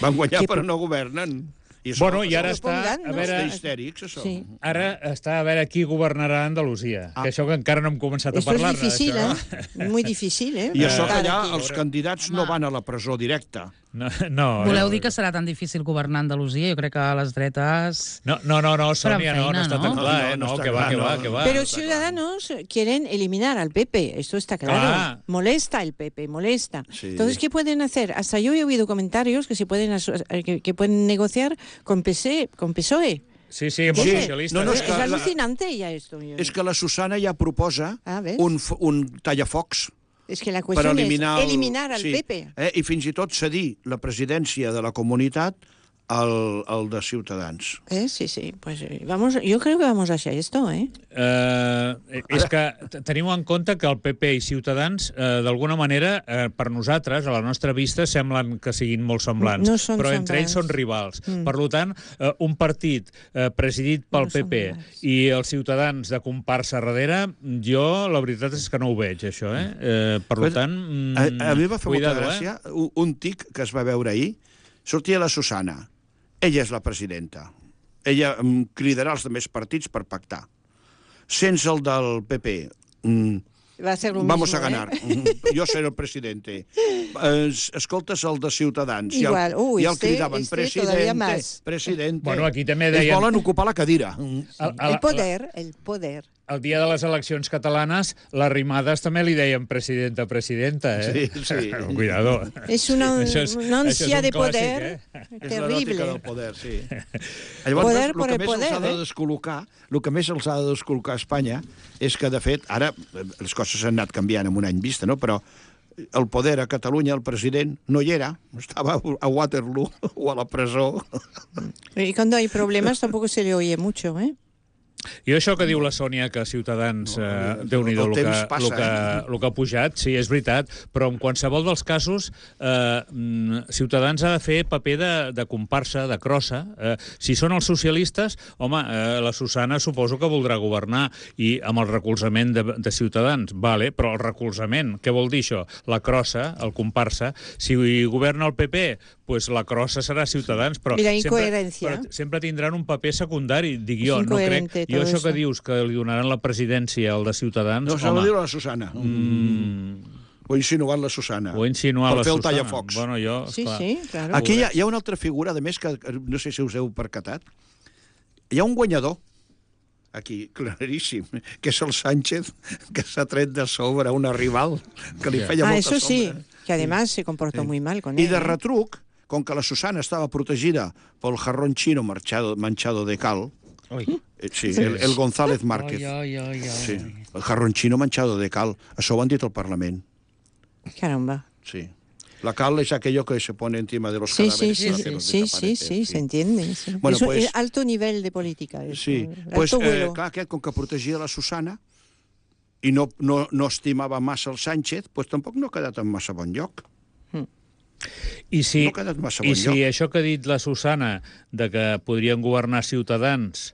C: Van guanyar,
E: que...
C: però no governen. I
D: Bueno, i ara
E: Això
D: està,
E: pongan,
D: a
E: no?
D: veure,
C: Està histèrics, això.
E: Sí.
D: ara està a veure qui governarà Andalusia,
C: Ah.
D: que això que encara no hem començat a
E: Esto es
D: parlar-ne.
E: difícil,
D: això.
E: ¿eh? Muy difícil, ¿eh?
C: I això que
E: Estar
C: allà
E: aquí.
C: els candidats no van a la presó directa.
D: No, no,
B: Voleu
D: no.
B: dir que serà tan difícil governar Andalusia? Jo crec que les dretes...
D: No, no, no, no Sònia, no, no
B: feina,
D: està
B: no?
D: tan clar, eh?
C: No, no
D: No,
C: està
D: que va,
C: clar,
D: que va,
C: no.
D: que va.
E: Pero Ciudadanos quieren eliminar al P P, esto está claro.
D: Ah.
E: Molesta el P P, molesta.
C: Sí.
E: Entonces, ¿qué pueden hacer? Hasta yo he oído comentarios que se pueden aso- que, que pueden negociar con P S E, con P S O E.
D: Sí, sí, amb
C: Sí.
D: els socialistes.
C: No, no,
E: es
C: és que la-
E: alucinante ya esto. yo-
C: És que la Susana ja proposa
E: Ah, ¿ves?
C: un, f- un tallafocs
E: Es que la
C: per
E: cuestión
C: eliminar,
E: es eliminar al
C: sí,
E: P P.
C: Eh, i fins i tot cedir la presidència de la comunitat al, al de Ciutadans.
E: Eh, sí, sí, pues eh, vamos, yo creo que vamos hacia esto, ¿eh?
D: Eh, és que t- teniu en compte que el P P i Ciutadans, eh, d'alguna manera, eh, per nosaltres, a la nostra vista, semblen que siguin molt semblants,
E: No són
D: però entre ells
E: semblants.
D: són rivals.
E: Mm.
D: Per tant, eh, un partit eh, presidit pel
E: No
D: P
E: són
D: P
E: rivals.
D: i els Ciutadans de comparsa darrere, jo la veritat és que no ho veig, això, eh? eh per
C: Però,
D: tant, mm,
C: A, a mi va fer
D: cuidado,
C: molta gràcia un, un tic que es va veure ahir. Sortia la Susana. Ella és la presidenta. Ella mm, cridarà els altres partits per pactar. Sense el del P P. Mm,
E: Va a ser lo
C: vamos
E: mismo,
C: a ganar.
E: ¿eh?
C: Mm, jo seré el presidente. Es, escoltes el de Ciutadans.
E: Igual.
C: I el,
E: Uy,
C: i el
E: este-
C: cridaven
E: este
C: presidente,
E: todavía más.
C: presidente.
D: Bueno, aquí també
C: Ells
D: deien-
C: volen ocupar la cadira. Mm.
D: A- a-
E: El poder, el poder.
D: El dia de les eleccions catalanes, les rimades també li deien presidenta, presidenta, eh?
C: Sí, sí.
D: Cuidado.
E: Es una,
D: Això és-
E: una
D: això és
E: ansia
D: un
E: de
D: clàssic,
E: poder
D: eh?
C: És
E: terrible.
C: l'eròtica del poder, sí. Llavors,
E: Poder
C: el
E: por
C: que
E: el
C: més
E: poder,
C: els ha de
E: eh?
C: descol·locar, el que més els ha de descol·locar a Espanya és que, de fet, ara eh, les coses han anat canviant en un any vista, no? Però el poder a Catalunya, el president, no hi era, estava a Waterloo o a la presó.
E: Y cuando hay problemas tampoco se le oye mucho, ¿eh?
D: I això que diu la Sònia, que Ciutadans,
C: No,
D: eh,
C: el
D: Déu-n'hi-do el,
C: temps
D: que,
C: passa,
D: el, que,
C: eh?
D: el que ha pujat, sí, és veritat, però en qualsevol dels casos, eh, mm, Ciutadans ha de fer paper de, de comparsa, de crossa. Eh, si són els socialistes, home, eh, la Susana suposo que voldrà governar, i amb el recolzament de, de Ciutadans, vale, però el recolzament, què vol dir això? La crossa, el comparsa. Si governa el P P, pues la crossa serà Ciutadans, però
E: I la
D: sempre,
E: incoherència.
D: però sempre tindran un paper secundari, dic jo,
E: És
D: no crec.
E: incoherente
D: Jo
E: todo
D: això
E: eso.
D: que dius, que li donaran la presidència al de Ciutadans,
C: No, se
D: home,
C: ho diu la Susana.
D: mm,
C: Ho ha insinuat la Susana.
D: ho ha insinuat
C: Per
D: la
C: fer el
D: Susana.
C: tallafocs.
D: Bueno, jo,
E: Sí,
D: esclar.
E: sí, claro.
C: Aquí hi ha, hi ha una altra figura, de més, que que no sé si us heu percatat. Hi ha un guanyador, aquí, claríssim, que és el Sánchez, que s'ha tret de sobre una rival que li
D: Ja.
C: feia
E: Ah,
C: molta
E: eso sí,
C: sombra.
E: que además se comportó
C: Sí.
E: muy mal con
C: I
E: él.
C: de
E: ¿eh?
C: retruc, com que la Susana estava protegida pel jarrón chino marchado, manchado de cal,
D: Ui.
C: eh, sí, el, el González Márquez,
B: Oi, oi, oi, oi.
C: sí, el jarrón chino manchado de cal, això ho han dit al Parlament,
E: Caramba.
C: sí. La cal es aquello que se pone encima de los
E: Sí,
C: cadáveres.
E: sí,
C: para
E: sí,
C: que los
E: sí, sí,
C: desaparecen,
E: sí, se entiende. Sí.
C: Bueno,
E: Eso
C: pues-
E: es alto nivel de política. Eso.
C: Sí,
E: Alto
C: pues, eh,
E: vuelo.
C: clar, aquest, com que protegia la Susana i no, no, no estimava massa el Sánchez, pues tampoc no ha quedat en massa bon lloc.
D: I si,
C: No ha quedat massa
D: i
C: bon
D: si
C: lloc.
D: això que ha dit la Susana, de que podrien governar Ciutadans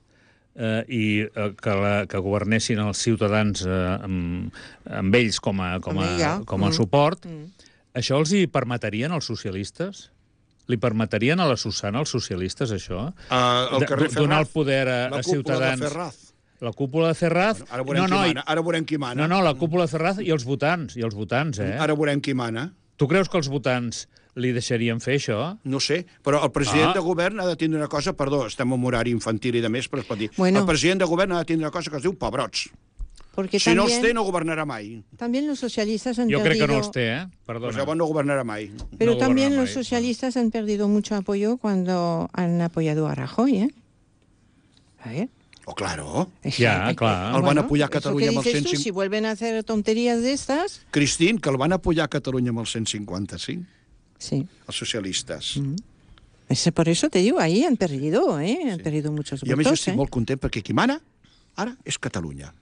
D: eh, i eh, que, la, que governessin els ciutadans eh, amb, amb ells com a, com a,
E: Amb ella.
D: com a
E: Mm.
D: suport,
E: Mm.
D: això els hi permetrien als socialistes? Li permetrien a la Susana, als socialistes, això?
C: Uh, el
D: De-
C: carrer
D: do- donar el
C: Ferraz,
D: poder a,
C: la
D: a
C: cúpula
D: Ciutadans.
C: de Ferraz.
D: La cúpula de Ferraz...
C: Bueno, ara veurem
D: no,
C: qui
D: no, i-
C: mana. Ara veurem qui mana.
D: no, no, la cúpula de Ferraz i els votants, i els votants, eh?
C: Ara veurem qui mana.
D: Tu creus que els votants li deixarien fer això?
C: No sé, però el president
D: Ah.
C: de govern ha de tindre una cosa, perdó, estem en horari infantil i de més, però es pot dir.
E: Bueno.
C: El president de govern ha de tindre una cosa que es diu pebrots.
E: Porque
C: Si no
E: también,
C: els té, no governarà mai.
E: también los socialistas han
D: Jo crec
E: perdido...
D: que no els té, eh?
C: Pues
D: Perdona.
C: llavors no governarà mai.
E: Pero
D: No
E: también
D: gobierna
E: los
D: mai.
E: socialistas han perdido mucho apoyo cuando han apoyado a Rajoy, ¿eh? A ver.
C: Oh, claro.
D: Ja,
E: Eh,
D: clar.
E: eh,
C: El van
E: bueno,
C: apoyar a
E: eso
C: Catalunya
E: que
C: amb el
E: dices
C: cent
E: tú,
C: cinc-
E: si vuelven a hacer tonterías de estas...
C: Cristín, que el van apoyar a Catalunya amb el cent cinquanta-cinc,
E: Sí.
C: els socialistes.
E: Mm. Ese, por eso te digo, ahí han perdido, ¿eh? Han perdido muchos
C: I a més jo
E: votos,
C: estic
E: ¿eh?
C: molt content perquè qui mana ara és Catalunya.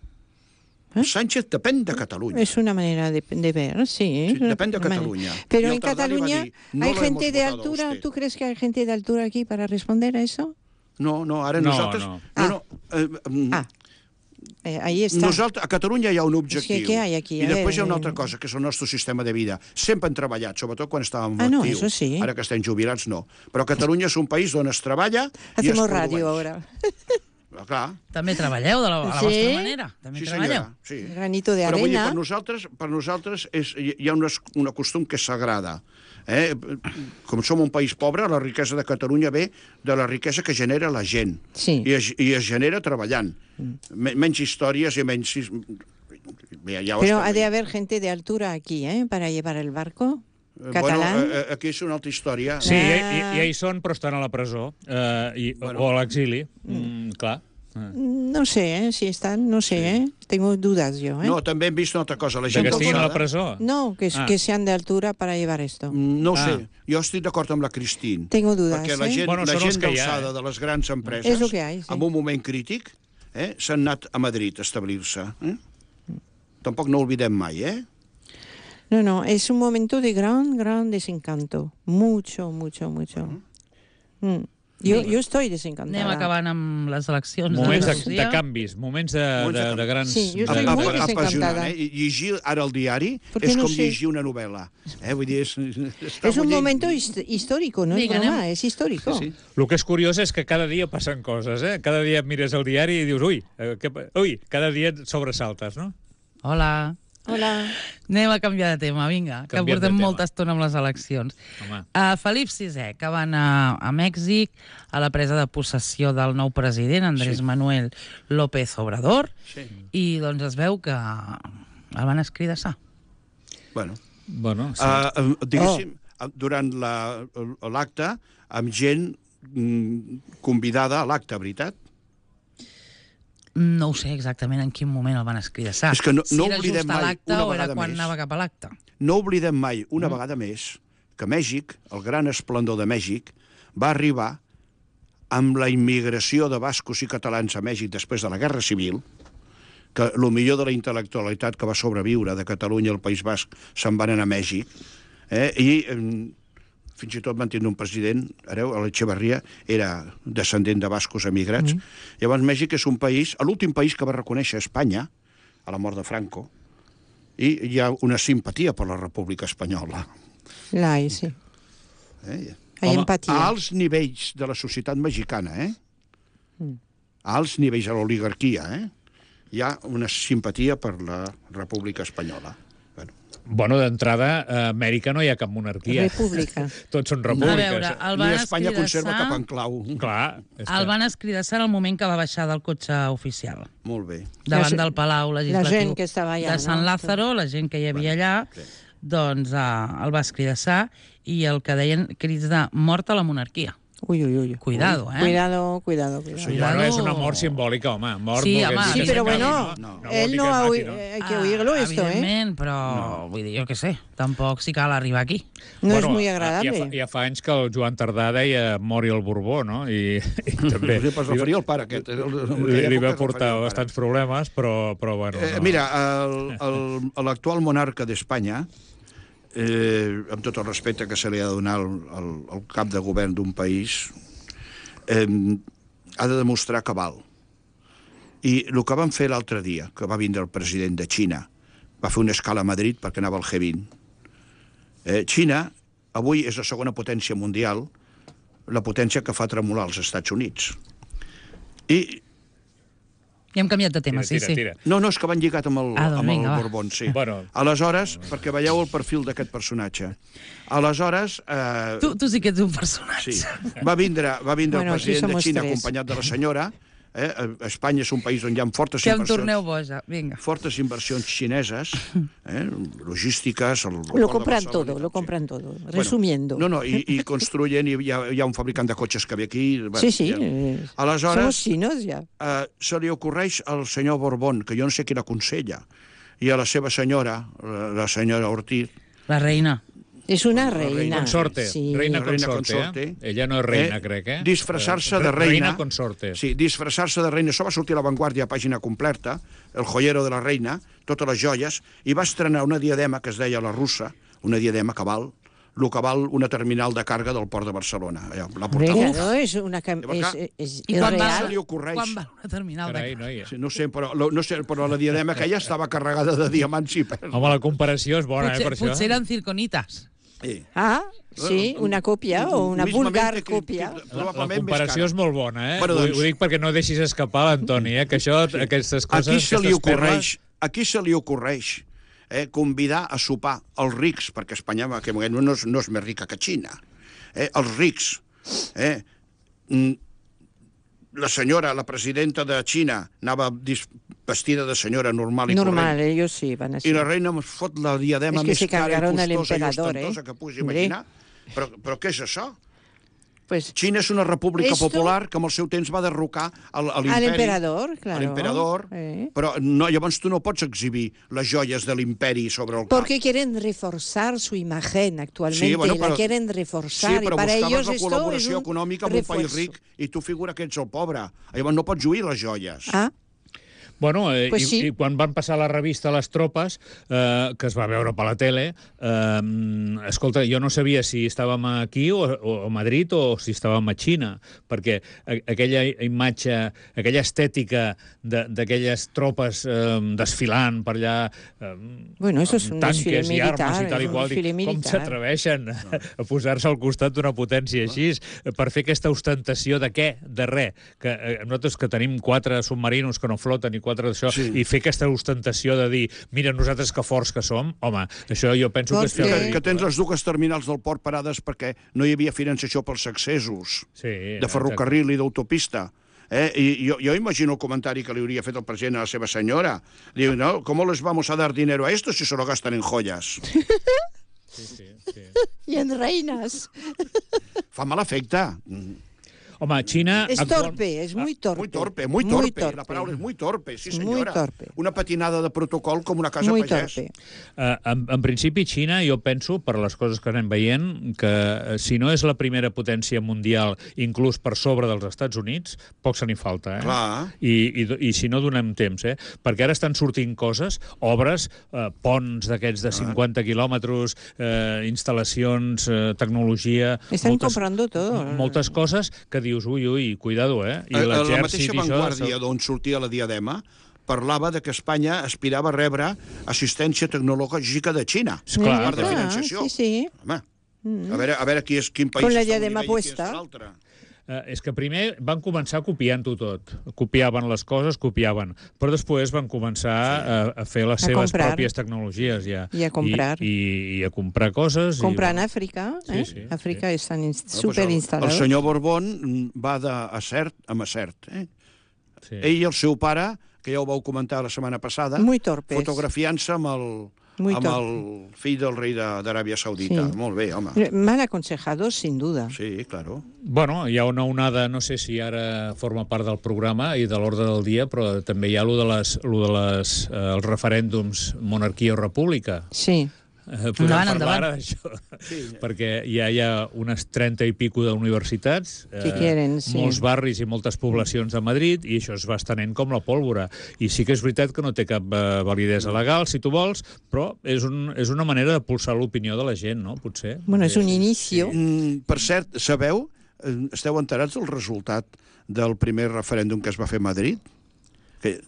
E: Eh?
C: Sánchez depèn de Catalunya.
E: Es una manera de, de ver, sí.
C: Sí,
E: es una
C: depende de
E: manera.
C: Cataluña.
E: Pero
C: Y el
E: en
C: Tardani va a
E: Cataluña
C: decir, no
E: hay
C: lo
E: gente
C: hemos
E: de
C: votado a
E: altura.
C: usted.
E: ¿Tú crees que hay gente de altura aquí para responder a eso?
C: No, no, ara
D: No,
C: nosaltres...
D: no.
C: no, no eh, mm,
E: Ah, eh, ahí está.
C: Nosaltres, a Catalunya hi ha un objectiu.
E: Sí, què hi ha aquí?
C: I
E: A
C: després hi ha una
E: veure,
C: altra cosa, que és el nostre sistema de vida. Sempre hem treballat, sobretot quan estàvem
E: Ah, no,
C: actius.
E: eso sí.
C: Ara que estem jubilats, no. Però Catalunya és un país on es treballa i es
E: Hacemos
C: produeix.
E: radio ahora.
C: Ah, clar.
B: També treballeu de la, a la
E: Sí?
B: vostra manera. També
C: Sí,
B: treballeu.
C: senyora. Sí.
E: Granito de
C: Però vull dir,
E: arena.
C: per nosaltres, per nosaltres és, hi ha una, una costum que és sagrada. Eh? Com som un país pobre, la riquesa de Catalunya ve de la riquesa que genera la gent.
E: Sí.
C: I es, i es genera treballant. Men menys històries i menys... Ja, ja ho
E: Pero
C: estem
E: ha de
C: veient.
E: haber gente de altura aquí, ¿eh? Para llevar el barco
C: Eh,
E: catalán.
C: Bueno, eh, aquí és una altra història.
D: Sí,
E: Ah.
D: ja, ja, ja hi són, però estan a la presó. Eh, i,
C: Bueno.
D: o a l'exili. Mm, clar. Eh.
E: No sé, ¿eh? Si están, no sé, ¿eh? Tengo dudas yo, ¿eh?
C: No, també hem vist una altra cosa. La
D: De
C: gent
D: que estiguin a la
C: alçada-
D: presó?
E: No, que,
D: Ah.
E: que sean de altura para llevar esto.
C: No ho
D: Ah.
C: sé, jo estic d'acord amb la Cristín.
E: Tengo dudas,
C: Perquè la
E: ¿eh?
C: gent,
D: Bueno,
C: la
D: són
C: gent
D: els que hi ha,
C: d'alçada
D: eh?
C: de les grans empreses,
E: És lo que hay, sí.
C: en un moment crític, eh, s'han anat a Madrid a establir-se. Eh? Tampoc no oblidem mai, eh?
E: No, no, es un momento de gran, gran desencanto. Mucho, mucho, mucho. Mm. Yo, yo estoy desencantada.
B: Anem acabant amb les eleccions
D: Moments de,
B: d'Andalusia.
D: de canvis, moments de,
C: Moments de
D: de, de grans...
E: Sí, jo
D: de,
E: soy
C: Apa-
E: muy
C: apa-
E: desencantada.
C: apassionant, eh? I llegir ara el diari
E: Perquè
C: és
E: no
C: com
E: sé.
C: llegir una novel·la. Eh? Vull dir, és, està
E: Es un
C: bullint.
E: momento hist- histórico, no
B: Vinga,
E: es broma,
B: anem.
E: es histórico.
C: Sí, sí.
D: El que és curiós és que cada dia passen coses, eh? Cada dia mires el diari i dius, ui, eh, què, pa- ui, cada dia et sobresaltes, no?
B: Hola.
E: Hola.
B: Anem a canviar de tema, vinga, que
D: Canviem de
B: portem
D: tema.
B: molta estona amb les eleccions.
D: Home.
B: Uh, Felip sisè, que va anar a Mèxic a la presa de possessió del nou president, Andrés
C: Sí.
B: Manuel López Obrador,
C: Sí.
B: i doncs es veu que el van escridassar.
C: Bueno,
D: Bueno, sí.
C: uh, diguéssim, oh. durant la- l'acte, amb gent mm, convidada a l'acte, veritat?
B: No ho sé exactament en quin moment el van escridassar.
C: És que no-
B: si
C: no
B: era
C: oblidem
B: just a
C: mai,
B: l'acte
C: una
B: o era
C: vegada
B: quan
C: més.
B: anava cap a l'acte.
C: No oblidem mai, una mm. vegada més, que Mèxic, el gran esplendor de Mèxic, va arribar amb la immigració de bascos i catalans a Mèxic després de la Guerra Civil, que el millor de la intel·lectualitat que va sobreviure de Catalunya al País Basc se'n van anar a Mèxic, eh? i eh, fins i tot van tindre un president, hereu, a l'Echeverria, era descendent de bascos emigrats. Mm. Llavors, Mèxic és un país, l'últim país que va reconèixer Espanya, a la mort de Franco, i hi ha una simpatia per la República Espanyola.
E: La hay, sí.
C: Eh?
E: Hay
D: Home,
E: empatía.
C: A alts nivells de la societat mexicana, eh?
E: Mm.
C: A alts nivells de l'oligarquia, eh? Hi ha una simpatia per la República Espanyola. Bueno,
D: Bueno, d'entrada, a Amèrica no hi ha cap monarquia.
E: República.
D: Tots són
B: A
D: repúbliques.
B: veure, el
C: ni
B: van
C: Espanya conserva cap
B: escridassar...
C: enclau.
D: Clar. És
B: El
D: que...
B: van escridassar en el moment que va baixar del cotxe oficial,
C: Molt bé.
B: davant
E: La-
B: del Palau
E: la
B: Legislatiu
E: gent que estava allà,
B: de Sant
E: no?
B: Lázaro, la gent que hi havia allà,
C: sí.
B: doncs uh, el va escridassar i el que deien crits de mort a la monarquia.
E: Uy, uy, uy.
B: Cuidado, eh?
E: Cuidado, cuidado, cuidado.
D: Sí, bueno, és una mort simbòlica, home. Mort
B: Sí,
D: no
B: home,
E: Sí, pero bueno,
C: no, no.
E: él no ha
D: ha
E: oi- eh, hay que oírlo esto, ¿eh?
B: Evidentment, però no. Vull dir, jo què sé, tampoc si cal arribar aquí.
E: No es
D: Bueno,
E: muy
D: Ja
E: agradable.
D: fa, ja fa anys que el Joan Tardà deia mori el Borbó, no? I, i també
C: Es referia al pare, aquest.
D: li, li va portar bastants problemes, però, però bueno...
C: Eh,
D: no.
C: mira, el- el- l'actual monarca d'Espanya, eh, amb tot el respecte que se li ha de donar al, al, al cap de govern d'un país, eh, ha de demostrar que val. I el que van fer l'altre dia, que va vindre el president de Xina, va fer una escala a Madrid perquè anava al G vint. Eh, Xina avui és la segona potència mundial, la potència que fa tremolar els Estats Units. I
B: Ja hem canviat de tema,
D: Tira,
B: sí,
D: tira,
B: sí.
D: tira.
C: no, no, és que van lligat amb el,
B: Ah, doncs
C: amb el
B: vinga, va.
C: Borbón, sí.
D: Bueno.
C: Aleshores, perquè veieu el perfil d'aquest personatge, aleshores... Eh,
B: Tu, tu sí que ets un personatge.
C: sí, va vindre, va vindre
E: Bueno,
C: el
E: aquí
C: president de
E: somos
C: Xina
E: tres.
C: acompanyat de la senyora. Eh? Espanya és un país on hi ha fortes
B: Que em
C: inversions,
B: torneu boja, vinga.
C: fortes inversions xineses, eh? logístiques... El,
E: Lo compran todo, lo compran todo. Resumiendo.
C: Bueno, no, no, i, i construyen, i hi ha, hi ha un fabricant de cotxes que ve aquí... Bueno,
E: Sí, sí.
C: ja.
E: eh,
C: Aleshores,
E: Somos chinos ya.
C: eh, se li ocorreix al senyor Borbón, que jo no sé qui l'aconsella, i a la seva senyora, la, la senyora Ortiz,
B: La reina.
E: Es una
C: La reina
E: reina.
D: Consorte,
E: Sí.
D: reina
C: Reina
D: consorte,
C: consorte.
D: eh? Ella no és reina,
C: Eh,
D: crec, eh?
C: disfressar-se
D: Eh,
C: de reina.
D: Reina consorte.
C: Sí, disfressar-se de reina. Això va sortir a La Vanguardia, pàgina completa, El joyero de la reina, totes les joies, i va estrenar una diadema que es deia la russa, una diadema que val, el que val una terminal de càrrega del port de Barcelona. Allà, la
E: Hombre,
C: portava.
E: claro, es una cam-
C: Llavors,
E: es, es,
B: I
E: es
B: quan va,
C: se li
E: real.
C: ocorreix?
B: quan va una terminal
D: Carai,
B: de...
D: noia.
C: Sí, no sé, però, lo- no sé, però la diadema aquella estava carregada de diamants i perles.
D: Home, la comparació és bona,
B: Potser,
D: eh, per això.
B: potser eren circonitas.
C: Sí.
E: Ah, sí, una copia o una
C: Mismamente
E: vulgar
C: que-
E: copia.
C: que-
D: La, la
C: probablement més
D: comparació
C: cara.
D: és molt bona, eh?
C: Bueno,
D: Ho-
C: doncs-
D: Ho dic perquè no deixis escapar l'Antoni, eh? Que això, aquestes coses,
C: Aquí se li
D: aquestes
C: ocorreix, aquí se li ocorreix eh, convidar a sopar els rics, perquè Espanya en aquest moment no és, no és més rica que Xina, eh, els rics. Eh, mm, la senyora, la presidenta de Xina, anava dis- vestida de senyora normal i
E: Normal,
C: corrent.
E: ellos sí van así.
C: I la reina ens fot la diadema
E: És que
C: més
E: se
C: cara i
E: cargaron al
C: costosa i
E: emperador,
C: ostentosa
E: eh?
C: que puguis
E: Hombre.
C: imaginar. Però, però què és això?
E: Pues
C: Xina és una república
E: Esto-
C: popular que amb el seu temps va derrocar al, a
E: al
C: l'imperi.
E: emperador, claro.
C: A l'emperador,
E: Eh.
C: però no, llavors tu no pots exhibir les joies de l'imperi sobre el cap.
E: Porque quieren reforzar su imagen actualmente,
C: Sí, bueno,
E: la
C: però-
E: quieren
C: Sí,
E: reforzar,
C: però
E: y para
C: buscaves
E: ellos
C: la
E: esto es
C: col·laboració
E: un
C: econòmica amb un país
E: refuerzo.
C: ric i tu figura que ets el pobre. Llavors no pots lluir les joies.
E: Ah,
D: Bueno, eh,
E: Pues
D: i,
E: sí.
D: i quan van passar la revista Les Tropes, eh, que es va veure per la tele, eh, escolta, jo no sabia si estàvem aquí o, o a Madrid o si estàvem a Xina, perquè a, aquella imatge, aquella estètica de- d'aquelles tropes eh, desfilant per allà, eh,
E: Bueno, eso es
D: amb
E: un desfile
D: tanques i armes
E: militar,
D: i tal i
E: es un
D: qual, dic,
E: desfile
D: com
E: militar.
D: s'atreveixen a posar-se al costat d'una potència així, per fer aquesta ostentació de què? De res. Que, eh, nosaltres que tenim quatre submarinos que no floten i quatre d'això,
C: Sí.
D: i fer aquesta ostentació de dir, mira, nosaltres que forts que som, home, això jo penso que és fer
E: Perquè-
D: el
C: Que, que
D: ridícul,
C: tens
D: eh?
C: les dues terminals del port parades perquè no hi havia financiació pels accessos
D: Sí,
C: de ferrocarril i d'autopista. Eh? I jo, jo imagino el comentari que li hauria fet el president a la seva senyora. Diu, no, ¿cómo les vamos a dar dinero a esto si se lo gastan en joyas?
D: Sí, sí, sí.
E: y en reinas.
C: Fa mal efecte.
D: Home, Xina...
E: Es
D: actual-
E: torpe, es muy torpe.
C: Muy torpe, muy torpe. La paraula és muy torpe, sí
E: Muy
C: senyora.
E: torpe.
C: Una patinada de protocol com una casa
E: Muy
C: pagès.
E: torpe.
D: Uh, en, en principi, Xina, jo penso, per les coses que anem veient, que uh, si no és la primera potència mundial, inclús per sobre dels Estats Units, poc se n'hi falta, eh?
C: Clar.
D: I, i, I si no donem temps, eh? Perquè ara estan sortint coses, obres, uh, ponts d'aquests de cinquanta quilòmetres, uh, instal·lacions, uh, tecnologia...
E: Están comprando todo.
D: Moltes coses que dius, ui, ui, cuidado, eh?
C: I la
D: l'exèrcit
C: mateixa
D: i això-
C: Vanguardia d'on sortia la diadema parlava de que Espanya aspirava a rebre assistència tecnològica de Xina.
D: Esclar,
C: a part de
D: clar.
C: financiació.
E: Sí, sí.
C: Home, a veure, a veure qui és, quin país
E: Con la
C: està a un
E: diadema
C: nivell i quin
E: puesta.
C: està a l'altre.
D: Eh, és que primer van començar copiant-ho tot. Copiaven les coses, copiaven. Però després van començar a, a fer les
E: A
D: seves
E: comprar.
D: pròpies tecnologies. Ja.
E: I a comprar.
D: I, i, i a comprar coses.
E: Compran
D: i,
E: en África,
D: Sí,
E: ¿eh?
D: sí,
E: África están in-
C: No, pues
E: súper
C: el, el
E: instalados.
C: senyor Borbón va d'acert a macert. Eh?
D: Sí.
C: Ell i el seu pare, que ja ho vau comentar la setmana passada,
E: Muy torpes.
C: fotografiant-se amb el,
E: Muy
C: amb
E: top.
C: el fill del rei de- d'Aràbia Saudita.
E: Sí.
C: Molt bé, home.
E: Mal aconsejados, sin duda.
C: Sí, claro.
D: Bueno, hi ha una onada, no sé si ara forma part del programa i de l'ordre del dia, però també hi ha lo de les, lo de les, eh, els referèndums monarquia o república.
E: Sí.
D: Eh, podem
B: Endavant,
D: parlar
B: endavant.
D: ara d'això, sí. perquè ja hi ha unes trenta i pico d'universitats,
E: Que quieren, sí.
D: molts barris i moltes poblacions de Madrid, i això es va estenent com la pólvora. I sí que és veritat que no té cap eh, validesa legal, si tu vols, però és, un, és una manera de pulsar l'opinió de la gent, no? Potser.
E: Bueno, és un
D: Sí.
E: inicio.
C: Mm, per cert, sabeu, eh, esteu enterats del resultat del primer referèndum que es va fer a Madrid? Que,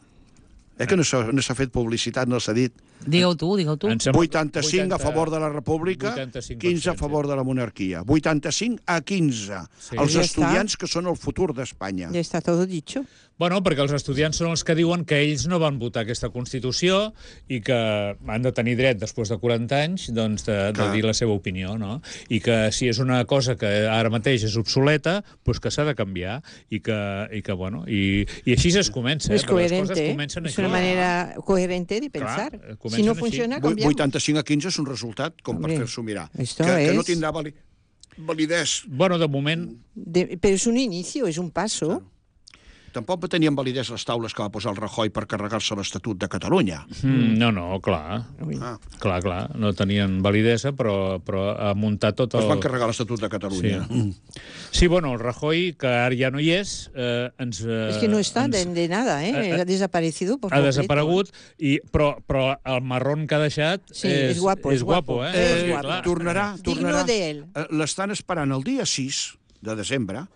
C: eh, que no s'ha no s'ha fet publicitat, no s'ha dit.
B: Digue-ho tu, digue-ho tu.
D: Em sembla-
C: vuitanta-cinc a favor de la república,
D: vuitanta-cinc per cent,
C: quinze a favor de la monarquia. vuitanta-cinc a quinze.
D: Sí.
C: Els
E: Ja
C: estudiants que són el futur d'Espanya.
E: Ya está todo dicho.
D: Bueno, perquè els estudiants són els que diuen que ells no van votar aquesta Constitució i que han de tenir dret, després de quaranta anys, doncs, de, de
C: Clar.
D: dir la seva opinió, no? I que si és una cosa que ara mateix és obsoleta, doncs que s'ha de canviar i que, i que bueno, i, i així es comença.
E: Es
D: Eh? Però les
E: coherente.
D: coses
E: ¿eh?
D: comencen
E: Es
D: així.
E: una manera coherente de
D: Clar,
E: pensar.
D: eh,
E: Si
D: comencen
E: no
D: així.
E: funciona,
C: Vu-
E: cambiamos.
C: vuitanta-cinc a quinze és un resultat com per
E: Hombre,
C: fer-s'ho mirar.
E: esto
C: Que, que no
E: es-
C: tindrà vali validesa.
D: Bueno, de moment,
E: De- pero es un inicio, es un paso.
C: Tampoc tenien validesa les taules que va posar el Rajoy per carregar-se l'Estatut de Catalunya.
D: mm. no, no, clar,
E: Uy.
C: Ah,
D: clar, clar, no tenien validesa, però, però ha muntat tot
C: es
D: el...
C: van carregar l'Estatut de Catalunya.
D: Sí. Sí, bueno, el Rajoy, que ara ja no hi és, eh, ens... Eh,
E: Es que no está
D: ens...
E: de, de nada, ¿eh?
D: eh,
E: Ha desaparecido por
D: ha
E: completo.
D: desaparegut, i, però, però el marrón que ha deixat
E: Sí,
D: és,
E: és guapo,
D: és
E: és
D: guapo,
E: guapo.
D: eh?
C: Eh,
E: És guapo.
D: clar,
C: tornarà,
E: Digno
C: tornarà.
E: de él.
C: Eh, L'estan esperant el dia sis de desembre,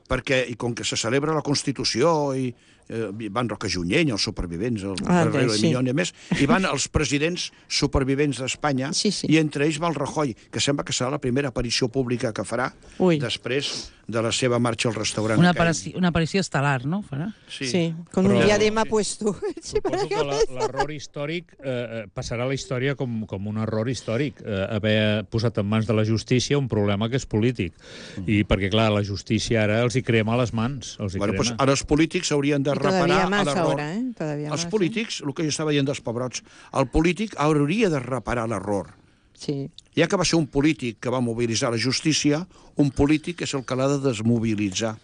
C: perquè, i com que se celebra la Constitució i eh, van Roca Junyent, els supervivents, el
E: Ah,
C: Guerrero
E: sí.
C: de Minyón i més, i van els presidents supervivents d'Espanya,
E: Sí, sí.
C: i entre ells va el Rajoy, que sembla que serà la primera aparició pública que farà
E: Ui.
C: després de la seva marxa al restaurant.
B: Una,
C: aquell.
B: aparició, una aparició estel·lar, no? Farà?
C: Sí.
E: Sí, con
D: Però-
E: un diadema
C: sí.
E: puesto. Sí, para
D: Suposo que la- l'error històric eh, eh, passarà a la història com, com un error històric, eh, haver posat en mans de la justícia un problema que és polític. I perquè, clar, la justícia ara els hi crema a les mans. Els hi
C: Bueno,
D: crema.
C: pues ara els polítics haurien de
E: Y todavía
C: reparar
E: más
C: a l'error.
E: ahora, ¿eh? Todavía
C: Els
E: más,
C: polítics, el que jo estava dient dels pebrots, el polític hauria de reparar l'error.
E: ¿eh? Sí.
C: Ja que va ser un polític que va mobilitzar la justícia, un polític és el que l'ha de desmobilitzar.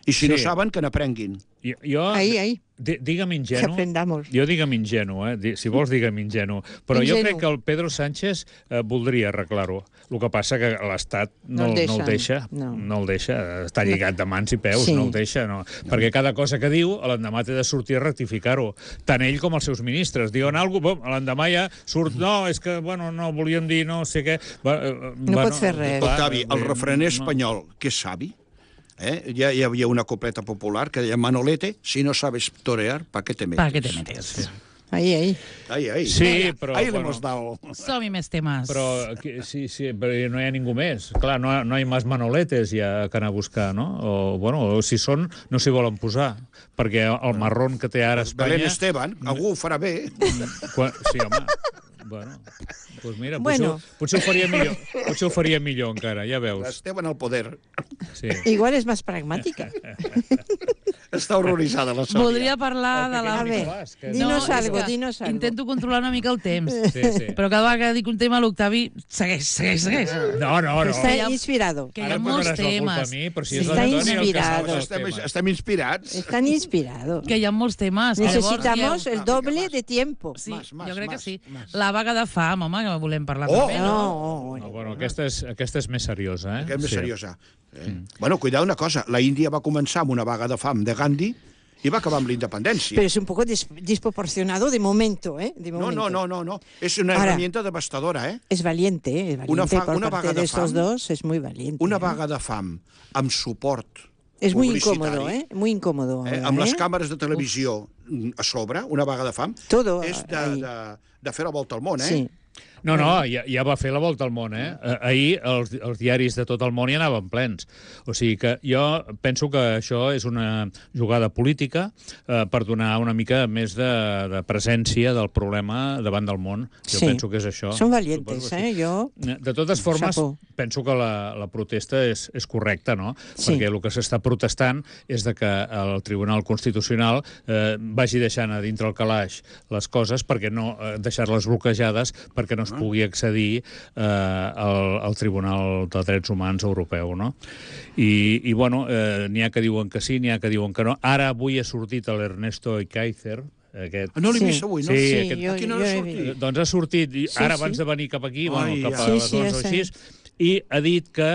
C: I si
D: Sí.
C: no saben, que n'aprenguin.
D: Jo, jo,
E: Ahí, ahí.
D: di- digue'm
E: Que
D: ingenu,
E: aprendamos.
D: jo digue'm ingenu, eh? Di- si vols digue'm ingenu, però jo
E: Ingenu.
D: crec que el Pedro Sánchez eh, voldria arreglar-ho. El que passa que l'Estat no,
E: No el
D: no el deixa,
E: deixen, no.
D: no el deixa, està lligat de mans i peus,
E: Sí.
D: no el deixa, no. Perquè cada cosa que diu, l'endemà té de sortir a rectificar-ho, tant ell com els seus ministres. Diuen alguna cosa, l'endemà ja surt, no, és que, bueno, no, volíem dir no sé què... Va, eh,
E: No
D: bueno,
E: pot fer res.
D: clar,
C: Octavi, el
D: eh,
C: refrener
D: no.
C: espanyol, que és savi, eh? ja hi havia una copleta popular que deia Manolete, si no sabes torear, ¿pa qué te metes?
B: ¿Para qué te metes?
E: Ahí, ahí.
C: Ai, ai.
D: Sí, però,
C: Ahí le
D: bueno,
C: hemos dado.
B: Som-hi més temes.
D: Però que- sí, sí, però no hi ha ningú més. Clar, no, no hi ha més manoletes ja que anar a buscar, no? O, bueno, o si són, no s'hi volen posar. Perquè el marrón que té ara Espanya...
C: Belén Esteban, algú ho farà bé.
D: Quan, sí, home. Bueno, doncs mira,
E: Bueno.
D: potser, potser, ho faria millor, potser ho faria millor encara, ja veus.
C: Esteban al poder.
D: Sí.
E: Igual es más pragmática.
C: Està horroritzada la Sònia.
B: Voldria parlar de la...
E: A ver,
D: Nicolás, que-
E: dinos
B: és
E: algo,
B: que
E: dinos algo.
B: Intento controlar una mica el temps.
D: Sí, sí.
B: Però cada vegada que dic un tema, l'Octavi segueix, segueix, segueix.
D: No, no, no.
E: Está
B: hi ha-
E: inspirado.
B: Que hi
D: Ara
B: ha
D: em
B: molts
D: posaràs la culpa
B: temes.
D: a mi, però si
B: Sí.
D: és
E: Està
D: l'Antoni el que sap
E: inspirado.
D: dels
C: Estem,
D: temes.
C: estem inspirats.
E: Están inspirados.
B: Que hi ha molts temes. que llavors
E: Necesitamos
B: dieu-
E: el doble de tiempo.
B: Sí,
C: Mas, mas,
B: jo crec que
C: mas,
B: sí.
C: mas.
B: La vaga de fam, home, que volem parlar
C: Oh!
B: també, no?
E: No,
D: No, bueno, aquesta és, aquesta és més seriosa, eh?
C: Que és més
D: Sí.
C: seriosa. Eh? Bueno, cuidado una cosa. La Índia va començar amb una vaga de fam de Gandhi i va acabar amb la independència.
E: pero es un poco des- desproporcionado de momento, ¿eh? De
C: No,
E: momento.
C: no, no, no, no. És una
E: Ara.
C: herramienta devastadora, eh?
E: Es valiente, ¿eh? Es valiente
C: Una fa-
E: por
C: una
E: parte
C: vaga
E: de
C: de
E: estos
C: fam.
E: dos, es muy valiente.
C: Una
E: ¿eh?
C: vaga de fam amb suport
E: Es muy
C: publicitari,
E: incómodo, ¿eh? Muy incómodo.
C: Eh,
E: ahora,
C: amb les
E: ¿eh?
C: càmeres de televisió a sobre, una vaga de fam,
E: Todo
C: és de,
E: ahí.
C: de, de fer la volta al món, eh?
E: Sí.
D: No, no, ja, ja va fer la volta al món, eh? Ahir els, els diaris de tot el món hi anaven plens. O sigui que jo penso que això és una jugada política eh, per donar una mica més de, de presència del problema davant del món. Jo
E: sí.
D: penso que és això.
E: Són valientes, eh? Jo...
D: De totes formes,
E: Chapeau.
D: penso que la, la protesta és, és correcta, no?
E: Sí.
D: Perquè el que s'està protestant és de que el Tribunal Constitucional eh, vagi deixant a dintre el calaix les coses perquè no eh, deixar-les bloquejades perquè no es pugui accedir eh, al, al Tribunal de Drets Humans Europeu, no? I, i bueno, eh, n'hi ha que diuen que sí, n'hi ha que diuen que no. Ara avui ha sortit l'Ernesto Ekaizer, aquest...
C: No l'he
E: Sí.
C: vist avui, no?
D: Sí,
E: Sí,
D: aquest...
E: jo,
C: A quina
E: jo
C: hora
E: he
C: ha sortit?
E: vist.
D: Doncs ha sortit, i
E: Sí,
D: ara
E: sí.
D: abans de venir cap aquí,
C: Ai,
D: bueno, cap a
C: ja.
D: les
E: Sí, sí,
D: onze o
E: ja
D: així, i ha dit que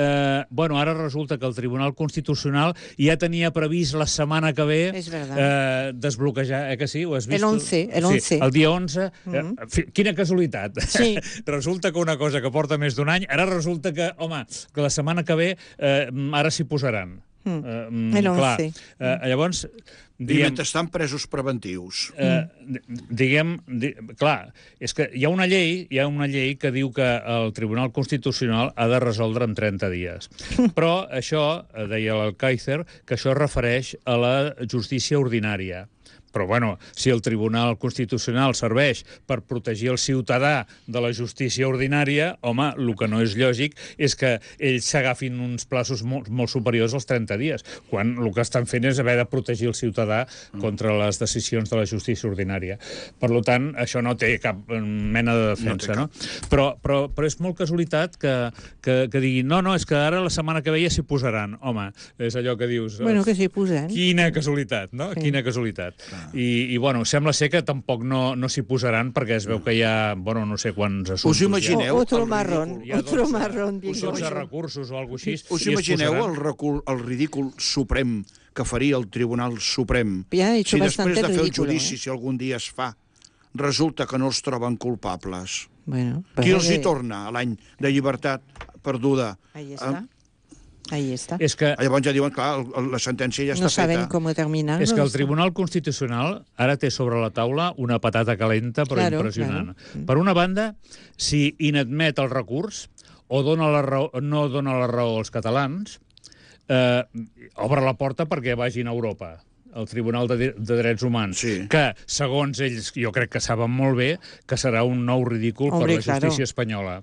D: Eh, bueno, ara resulta que el Tribunal Constitucional ja tenia previst la setmana que ve
E: És verdad.
D: eh, desbloquejar, eh que sí? Ho has vist?
E: El once, el once.
D: Sí, el dia onze.
E: Mhm.
D: eh, fi- quina casualitat.
E: Sí.
D: Resulta que una cosa que porta més d'un any, ara resulta que, home, que la setmana que ve eh, ara s'hi posaran.
E: Mm.
D: Eh, mm,
E: El
D: clar,
E: once.
D: eh, llavors,
C: I
D: diguem...
C: mentre estan presos preventius.
D: Eh, diguem, di, clar, és que hi ha una llei, hi ha una llei que diu que el Tribunal Constitucional ha de resoldre en trenta dies. Però això, eh, deia l'Alcáizer, que això es refereix a la justícia ordinària. Però, bueno, si el Tribunal Constitucional serveix per protegir el ciutadà de la justícia ordinària, home, el que no és lògic és que ells s'agafin uns plaços molt, molt superiors als trenta dies, quan el que estan fent és haver de protegir el ciutadà contra les decisions de la justícia ordinària. Per tant, això no té cap mena de defensa, no? Però, però, però és molt casualitat que, que, que diguin no, no, és que ara la setmana que ve ja s'hi posaran. Home, és allò que dius...
E: Bueno, que s'hi posen.
D: Quina casualitat, no?
E: Sí.
D: Quina casualitat. I, i bueno, sembla ser que tampoc no, no s'hi posaran perquè es veu que hi ha, bueno, no sé quants assumptes.
C: Us imagineu
E: O- otro
C: el
E: marrón,
C: ridícul?
D: Hi ha
E: otro
D: dotze
E: marrón. digo
D: dotze
E: yo.
D: recursos o alguna cosa així.
C: Us
D: i es
C: imagineu
D: posaran.
C: el, recul, el ridícul suprem que faria el Tribunal Suprem
E: Ja ha hecho
C: si després
E: bastante
C: de fer el
E: ridículo,
C: judici,
E: eh?
C: si algun dia es fa, resulta que no els troben culpables?
E: Bueno,
C: Qui
E: pues,
C: els hi
E: eh,
C: torna a l'any de llibertat perduda?
E: Ahí está. Ahí está.
D: És que,
C: Llavors ja diuen, clar, el- la sentència ja
E: No
C: està
E: saben
C: feta.
E: cómo terminar.
D: és que el Tribunal Constitucional ara té sobre la taula una patata calenta però
E: Claro,
D: impressionant.
E: claro.
D: Per una banda, si inadmet el recurs o dona la raó, no dona la raó als catalans, eh, obre la porta perquè vagin a Europa el Tribunal de, de Drets Humans,
C: Sí.
D: que, segons ells, jo crec que saben molt bé que serà un nou ridícul
E: Hombre,
D: per la justícia
E: claro.
D: espanyola.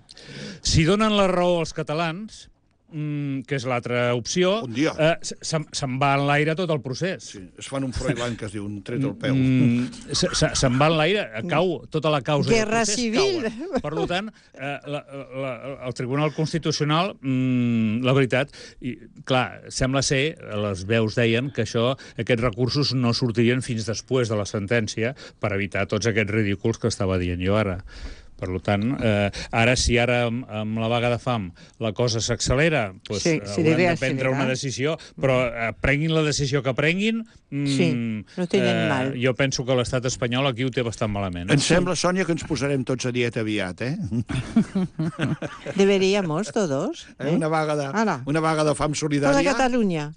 D: Si donen la raó als catalans, mm, que és l'altra opció,
C: Un dia.
D: eh, se'n se'n va en l'aire tot el procés.
C: Sí, es fan un Froilán que es diu un tret al peu.
D: Mm, se- se- se'n va en l'aire, cau tota la causa. i el
E: Guerra
D: procés
E: civil.
D: cauen. Per tant, eh, la, la, el Tribunal Constitucional, mm, la veritat, i, clar, sembla ser, les veus deien que això, aquests recursos no sortirien fins després de la sentència per evitar tots aquests ridículs que estava dient jo ara. Per tant, eh, ara, si ara amb, amb la vaga de fam la cosa s'accelera, doncs
E: Sí,
D: eh,
E: se
D: hauran
E: debe
D: de prendre una
E: acelerar.
D: decisió, però eh, prenguin la decisió que prenguin, mm,
E: Sí, no tenen mal.
D: jo penso que l'estat espanyol aquí ho té bastant malament.
C: Em sembla, Sònia, que ens posarem tots a dieta aviat, eh?
E: Deberíamos todos.
C: eh?
E: ¿eh?
C: Una, vaga de,
E: Ara.
C: una vaga de fam
E: Toda
C: solidària.
E: Catalunya.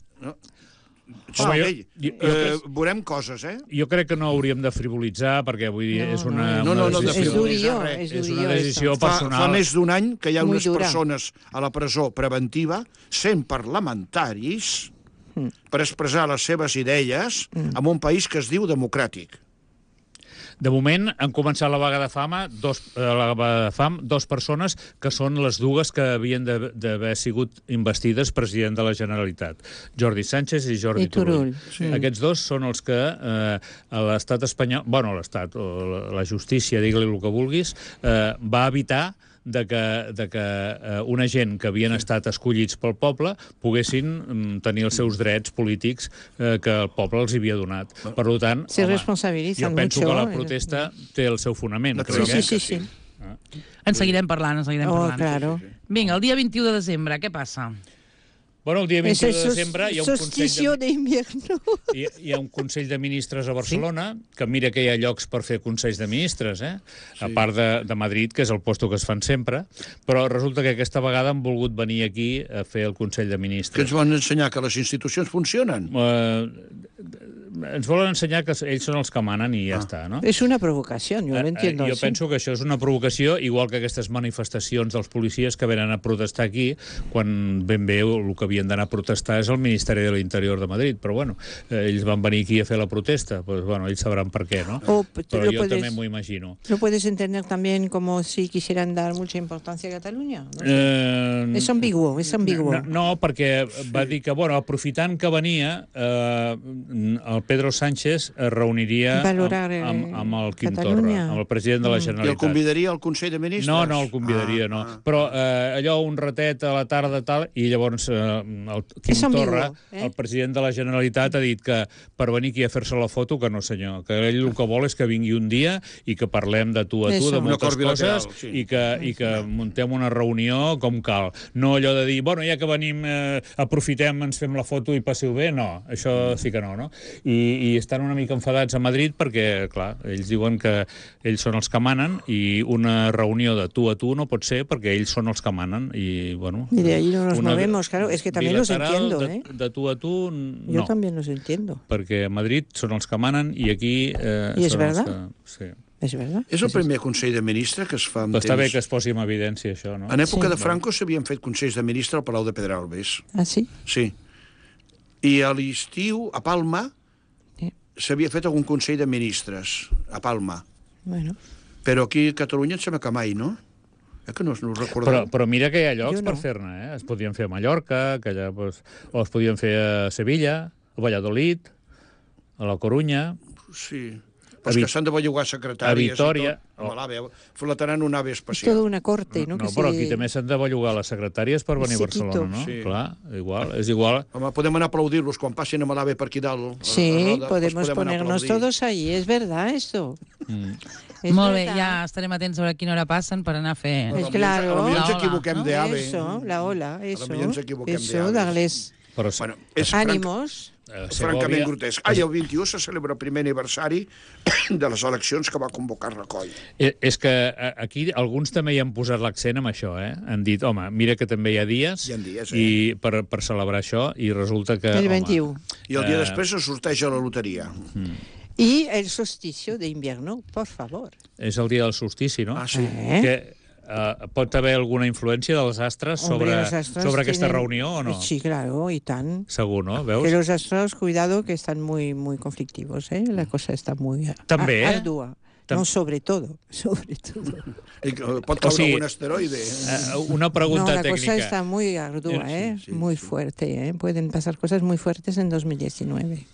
C: Sí,
D: Home, jo-
C: ei,
D: jo- jo
C: eh,
D: crec-
C: veurem coses, eh?
D: Jo crec que no hauríem de frivolitzar, perquè vull dir,
E: No,
D: és una,
C: no, no,
D: una
C: no, de
E: Es
D: decisió,
C: frivolitzar
E: durillo,
C: res.
E: es
D: és
E: durillo
D: una decisió
E: esto.
C: Fa,
D: personal.
C: fa més d'un any que hi ha
E: Muy
C: unes
E: dura.
C: persones a la presó preventiva, sent parlamentaris, per expressar les seves idees en un país que es diu democràtic.
D: De moment han començat la vaga de fama, dos, eh, la vaga de fam, dos persones que són les dues que havien de- d'haver sigut investides president de la Generalitat, Jordi Sánchez i Jordi
E: I Turull.
D: Turull. Sí. Aquests dos són els que eh, a l'estat espanyol, bueno, l'estat, o la, la justícia, digue-li el que vulguis, eh, va evitar de que, de que eh, una gent que havien estat escollits pel poble poguessin mm, tenir els seus drets polítics eh, que el poble els havia donat. Per tant,
E: Se
D: home,
E: responsabilitzan
D: jo penso
E: mucho.
D: que la protesta té el seu fonament.
C: Sí,
D: crec,
E: Sí,
D: eh?
E: sí, sí. sí.
B: En seguirem parlant, en seguirem
E: Oh,
B: parlant.
E: claro.
B: Vinga, el dia vint-i-u de desembre, què passa?
D: Bueno, el dia
E: Es
D: vint-i-u
E: el
D: de
E: sos-
D: desembre hi ha un Consell
E: solsticio
D: de,
E: de invierno.
D: hi, hi ha un Consell de Ministres a Barcelona, que mira que hi ha llocs per fer Consells de Ministres, eh? a part de, de Madrid, que és el lloc que es fan sempre, però resulta que aquesta vegada han volgut venir aquí a fer el Consell de
C: Que
D: Ministres.
C: ens van ensenyar que les institucions funcionen.
D: Eh, ens volen ensenyar que ells són els que manen i ja ah. està, no?
E: És una provocació, jo
D: eh,
E: lo entiendo.
D: Jo
E: sí.
D: penso que això és una provocació, igual que aquestes manifestacions dels policies que venen a protestar aquí, quan ben bé el que havien d'anar a protestar és el Ministeri de l'Interior de Madrid, però bueno, eh, ells van venir aquí a fer la protesta, pues bueno, ells sabran per què, no?
E: O,
D: però jo
E: puedes,
D: també m'ho imagino.
E: ¿Lo puedes entender también como si quisieran dar mucha importancia a Catalunya? No sé.
D: eh,
E: és ambiguo, és ambiguo.
D: No, no, perquè va dir que, bueno, aprofitant que venia, eh, el Pedro Sánchez es reuniria
E: Valorar,
D: amb, amb, amb el Quim
E: Catalunya.
D: Torra, amb el president de la Generalitat.
C: I el convidaria al Consell de Ministres?
D: No, no el convidaria, ah, no. Ah. Però eh, allò, un ratet a la tarda tal, i llavors eh, el Quim Torra, eh? el president de la Generalitat, ha dit que per venir aquí a fer-se la foto, que no senyor, que ell el que vol és que vingui un dia i que parlem de tu a tu, Eso. de moltes coses, sí. i, que, i que muntem una reunió com cal. No allò de dir, bueno, ja que venim, eh, aprofitem, ens fem la foto i passeu bé, no, això sí que no, no? I, i estan una mica enfadats a Madrid perquè, clar, ells diuen que ells són els que manen i una reunió de tu a tu no pot ser perquè ells són els que manen i, bueno...
E: Y de ahí no nos movemos, claro, es que también los entiendo,
D: de,
E: ¿eh?
D: De tu a tu, no.
E: Yo también los entiendo.
D: Perquè a Madrid són els que manen i aquí... Eh,
E: I és
D: són
E: verdad?
D: Els que, sí.
E: És verdad.
C: És el primer Consell de Ministres que es fa amb
D: temps. Està bé que es posi en evidència, això, no?
C: En època
E: sí.
C: de Franco s'havien fet Consells de Ministres al Palau de Pedralbes.
E: Ah, sí?
C: Sí. I a l'estiu, a Palma, s'havia fet algun Consell de Ministres, a Palma.
E: Bueno.
C: Però aquí a Catalunya em sembla que mai, no? Eh que no, no ho recordem.
D: Però, però mira que hi ha llocs
E: no.
D: per fer-ne, eh? Es podien fer a Mallorca, que allà, pues, o es podien fer a Sevilla, a Valladolid, a la Corunya...
C: Sí, però que s'han de bellugar secretàries...
D: A Vitòria...
C: Oh. Flottant una ave especial.
E: És tota una corte, no?
D: No,
E: que
D: però
E: se...
D: aquí també s'han de bellugar les secretàries per venir a Barcelona, no?
C: Sí.
D: Clar, igual, és igual.
C: Home, podem anar a aplaudir-los quan passin amb l'ave per aquí dalt.
E: Sí,
C: roda,
E: podemos
C: podem
E: ponernos todos ahí, es verdad esto.
D: Mm.
E: Es
B: Molt bé,
E: verdad.
B: ja estarem atents a veure a quina hora passen per anar a fer...
E: Pues claro.
C: A lo millor ens
B: La ola,
C: equivoquem
B: no?
C: d'ave.
E: Eso, la ola, eso.
C: A lo millor ens equivoquem
E: Eso,
C: d'aves.
E: darles
D: Però,
C: Bueno, és
E: ánimos.
D: eh,
C: francament grotesc. Ah, i el vint-i-u se celebra el primer aniversari de les eleccions que va convocar Rajoy.
D: Eh, És que eh, aquí alguns també hi han posat l'accent amb això, eh? Han dit, home, mira que també hi ha dies,
C: Hi ha dies, eh?
D: i per, per celebrar això, i resulta que...
E: El
D: home,
E: vint-i-u.
C: I el dia
D: Eh,
C: després se sorteja la loteria.
E: Y el solsticio de invierno, por favor.
D: És el dia del solstici, no?
C: Ah, sí.
E: Eh?
D: Que eh, pot haver alguna influència dels astres sobre,
E: Hombre, los astros
D: sobre aquesta
E: tienen-
D: reunió o no?
E: Sí, claro, y tan.
D: Segur, no? Veus?
E: Que los astros, cuidado, que están muy, muy conflictivos, ¿eh? La cosa está muy a-
D: També, eh?
E: ardua.
D: Tam-
E: No, sobre todo, sobre todo.
C: I que pot caure
D: O sigui,
C: algun asteroide.
D: Eh, una pregunta
E: No, la
D: tècnica.
E: cosa está muy ardua,
C: Sí,
E: ¿eh?
C: sí,
E: muy
C: sí.
E: fuerte, ¿eh? Pueden pasar cosas muy fuertes en dos mil diecinueve.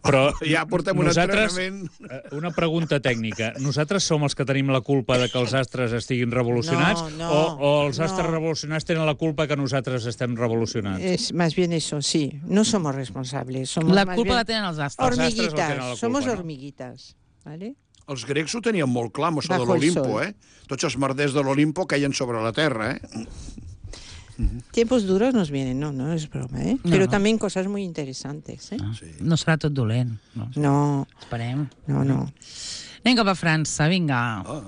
D: Però
C: Ja portem un
D: nosaltres,
C: entrenament.
D: eh, una pregunta tècnica. Nosaltres som els que tenim la culpa de que els astres estiguin revolucionats
E: No, no,
D: o, o els astres
E: no.
D: revolucionats tenen la culpa que nosaltres estem revolucionats?
E: Es más bien eso, sí. No somos responsables. Somos
B: La
E: más
B: culpa
E: bien
B: la tenen els astres.
D: Els astres no
E: hormiguitas.
D: tenen la culpa,
E: Somos
D: no?
E: hormiguitas, ¿vale?
C: Els grecs ho tenien molt clar, amb això de
E: Bajo el
C: l'Olimpo,
E: sol.
C: eh? Tots els merders de l'Olimpo caien sobre la terra, eh?
E: Tiempos duros nos vienen, no, no es broma, ¿eh?
B: No,
E: Pero
B: no.
E: también cosas muy interesantes, ¿eh?
B: Ah,
C: Sí.
B: no serà tot dolent. No.
E: No,
B: Esperem.
E: no, no.
B: Anem cap a França, vinga.
C: Ah,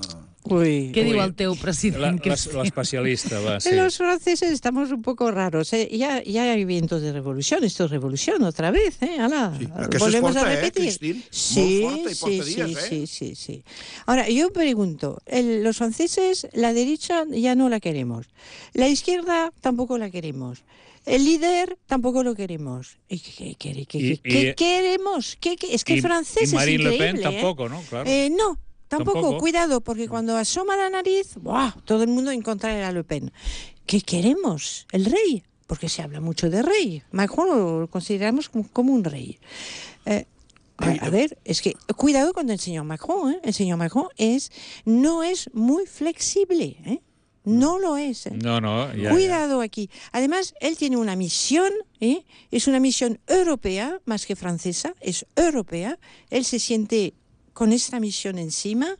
E: Uy.
B: Què
D: Ui.
B: diu el teu
D: La-
B: president?
D: l'es- L'especialista, va, sí.
E: Los franceses estamos un poco raros, ¿eh? Ya, ya hay vientos de revolución, esto es revolución otra vez, ¿eh? Ala,
C: Sí, aquesta
E: volvemos
C: es forta,
E: a
C: eh,
E: repetir.
C: Christine?
E: Sí,
C: Molt forta y porta
E: sí,
C: días,
E: sí,
C: eh.
E: sí, sí, sí. Ahora, yo pregunto, el- los franceses, la derecha ya no la queremos, la izquierda tampoco la queremos. El líder tampoco lo queremos. ¿Y ¿Qué, qué, qué, qué,
D: Y-
E: qué
D: y-
E: queremos? ¿Qué, qué? Es que
D: Y-
E: el francés
D: y Marine
E: es
D: Le
E: increíble,
D: Pen
E: ¿eh?
D: tampoco, ¿no? Claro.
E: Eh, no, tampoco.
D: Tampoco.
E: Cuidado, porque cuando asoma la nariz, ¡buah! Todo el mundo en contra de la Le Pen. ¿Qué queremos? ¿El rey? Porque se habla mucho de rey. Macron lo consideramos como, como un rey. Eh, a, a ver, es que cuidado con el señor Macron, ¿eh? El señor Macron es, no es muy flexible, ¿eh? No lo es. ¿eh?
D: No, no, ja,
E: Cuidado aquí. Además, él tiene una misión, ¿eh? Es una misión europea, más que francesa, es europea. Él se siente con esta misión encima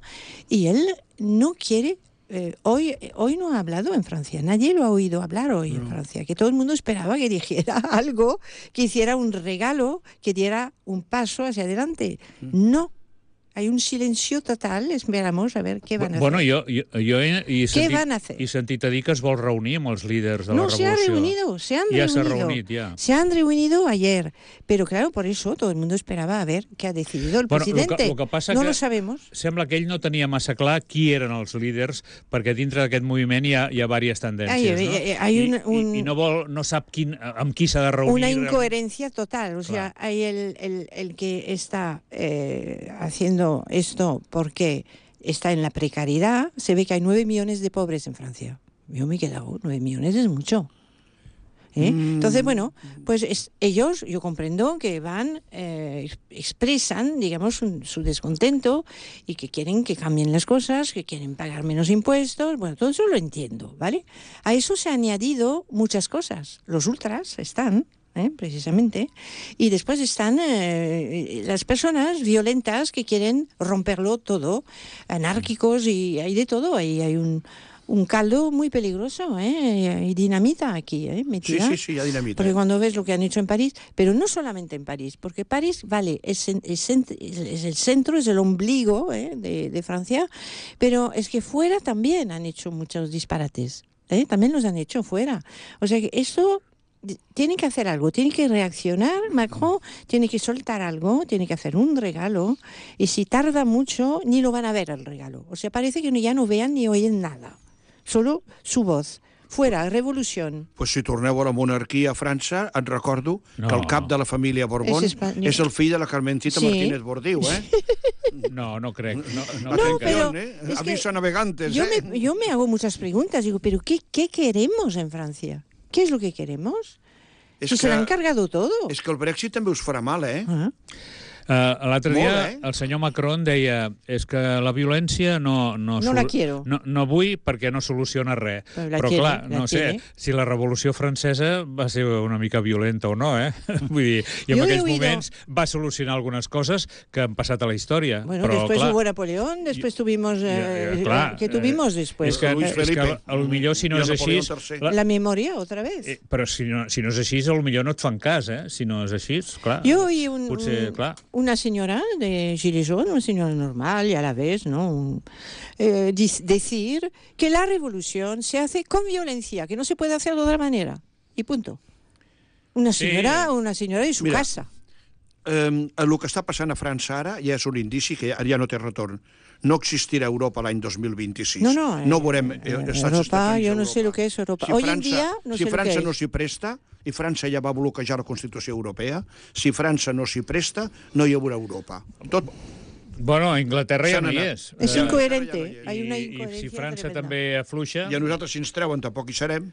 E: y él no quiere... Eh, hoy, hoy no ha hablado en Francia, nadie lo ha oído hablar hoy en Francia, que todo el mundo esperaba que dijera algo, que hiciera un regalo, que diera un paso hacia adelante. No. Hay un silencio total, esperamos a ver què van a
D: bueno,
E: fer.
D: Bueno, jo, jo, jo he, he,
E: Què
D: sentit,
E: van a fer?
D: he sentit a dir que es vol reunir amb els líders de
E: no,
D: la
E: se han
D: revolució.
E: reunido, se han
D: ja
E: reunido.
D: s'ha reunit, ja.
E: Se han reunido ayer. Pero claro, por eso todo el mundo esperaba a ver qué ha decidido el
D: bueno,
E: presidente.
D: Lo que, lo que passa
E: no
D: que
E: lo sabemos.
D: Sembla que ell no tenia massa clar qui eren els líders, perquè dintre d'aquest moviment hi ha, hi ha diverses tendències,
E: hay,
D: no?
E: Hay, hay un,
D: I,
E: un,
D: i, I no, vol, no sap quin, amb qui s'ha de reunir.
E: Una incoherencia total. O sea,
D: claro.
E: hay el, el, el que está eh, haciendo esto porque está en la precariedad. Se ve que hay nueve millones de pobres en Francia. Yo me he quedado, nueve millones es mucho. ¿Eh? Mm. Entonces, bueno, pues es, ellos, yo comprendo que van, eh, expresan, digamos, un, su descontento y que quieren que cambien las cosas, que quieren pagar menos impuestos. Bueno, todo eso lo entiendo, ¿vale? A eso se han añadido muchas cosas. Los ultras están, ¿eh? Precisamente, y después están eh, las personas violentas que quieren romperlo todo, anárquicos, y hay de todo. Ahí hay un... un caldo muy peligroso, ¿eh? Hay dinamita aquí, ¿eh? Metida.
C: Sí, sí, sí, hay dinamita.
E: Porque cuando ves lo que han hecho en París, pero no solamente en París, porque París, vale, es, es, es el centro, es el ombligo, ¿eh? de, de Francia, pero es que fuera también han hecho muchos disparates, ¿eh? También los han hecho fuera. O sea que esto... tiene que hacer algo, tiene que reaccionar. Macron tiene que soltar algo, tiene que hacer un regalo, y si tarda mucho, ni lo van a ver el regalo. O sea, parece que ya no vean ni oyen nada. Solo su voz. Fuera, revolució.
C: Pues si torneu a la monarquia a França, et recordo
D: no.
C: que el cap de la família Borbón és, és el fill de la Carmencita sí. Martínez Bordiu, eh?
D: No, no crec. No, no,
E: no
D: crec
E: pero
C: que... eh? Avisa navegantes,
E: yo,
C: eh?
E: me, yo me hago muchas preguntas. Digo, ¿pero qué, qué queremos en Francia? ¿Qué es lo que queremos?
C: És
E: si
C: que,
E: se l'han cargado todo.
C: És que el Brexit també us farà mal, eh?
E: Ah.
D: Uh, L'altre dia
C: Molt, eh?
D: el senyor Macron deia és que la violència no... No,
E: no la quiero.
D: No, no vull perquè no soluciona res.
E: Però, la
D: Però
E: tiene,
D: clar, no sé
E: tiene.
D: si la Revolució Francesa va ser una mica violenta o no, eh? Vull dir, i en
E: Yo
D: aquells
E: oído...
D: moments va solucionar algunes coses que han passat a la història.
E: Bueno,
D: però,
E: después
D: clar,
E: hubo Napoleón, después tuvimos... Eh,
D: ja, ja, clar,
E: ¿Qué tuvimos
D: eh,
E: después?
D: És que,
C: Luis
D: és que
C: Felipe.
D: a lo millor si no
C: I
D: és així...
C: La...
E: La memoria, otra vez.
D: Eh, però si no, si no és així, a lo millor no et fan cas, eh? Si no és així, clar.
E: Yo oí un,
D: potser,
E: un,
D: clar.
E: una señora de Gilets jaunes, una señora normal y a la vez, ¿no? Un, eh, decir que la revolución se hace con violencia, que no se puede hacer de otra manera. Y punto. Una señora, sí. una señora de su
C: Mira,
E: casa.
C: Eh, el que està passant a França ara ja és un indici que ja, ja no té retorn. No existirà Europa l'any dos mil vint-i-sis.
E: No, no.
C: No veurem eh, estats
E: Europa,
C: estafants
E: yo no
C: Europa.
E: sé lo que es Europa.
C: Si
E: Hoy
C: França,
E: en día no
C: si
E: sé
C: França
E: lo que
C: no
E: es.
C: s'hi presta, i França ja va bloquejar la Constitució Europea, si França no s'hi presta, no hi haurà Europa. Tot...
D: Bueno, a Inglaterra ja no hi és.
E: És
D: Eh,
E: incoherente.
C: I-
E: Hay una
D: I,
E: incoherencia
D: I si França
E: tremenda.
D: també afluixa...
C: I a nosaltres, si ens treuen, tampoc hi serem.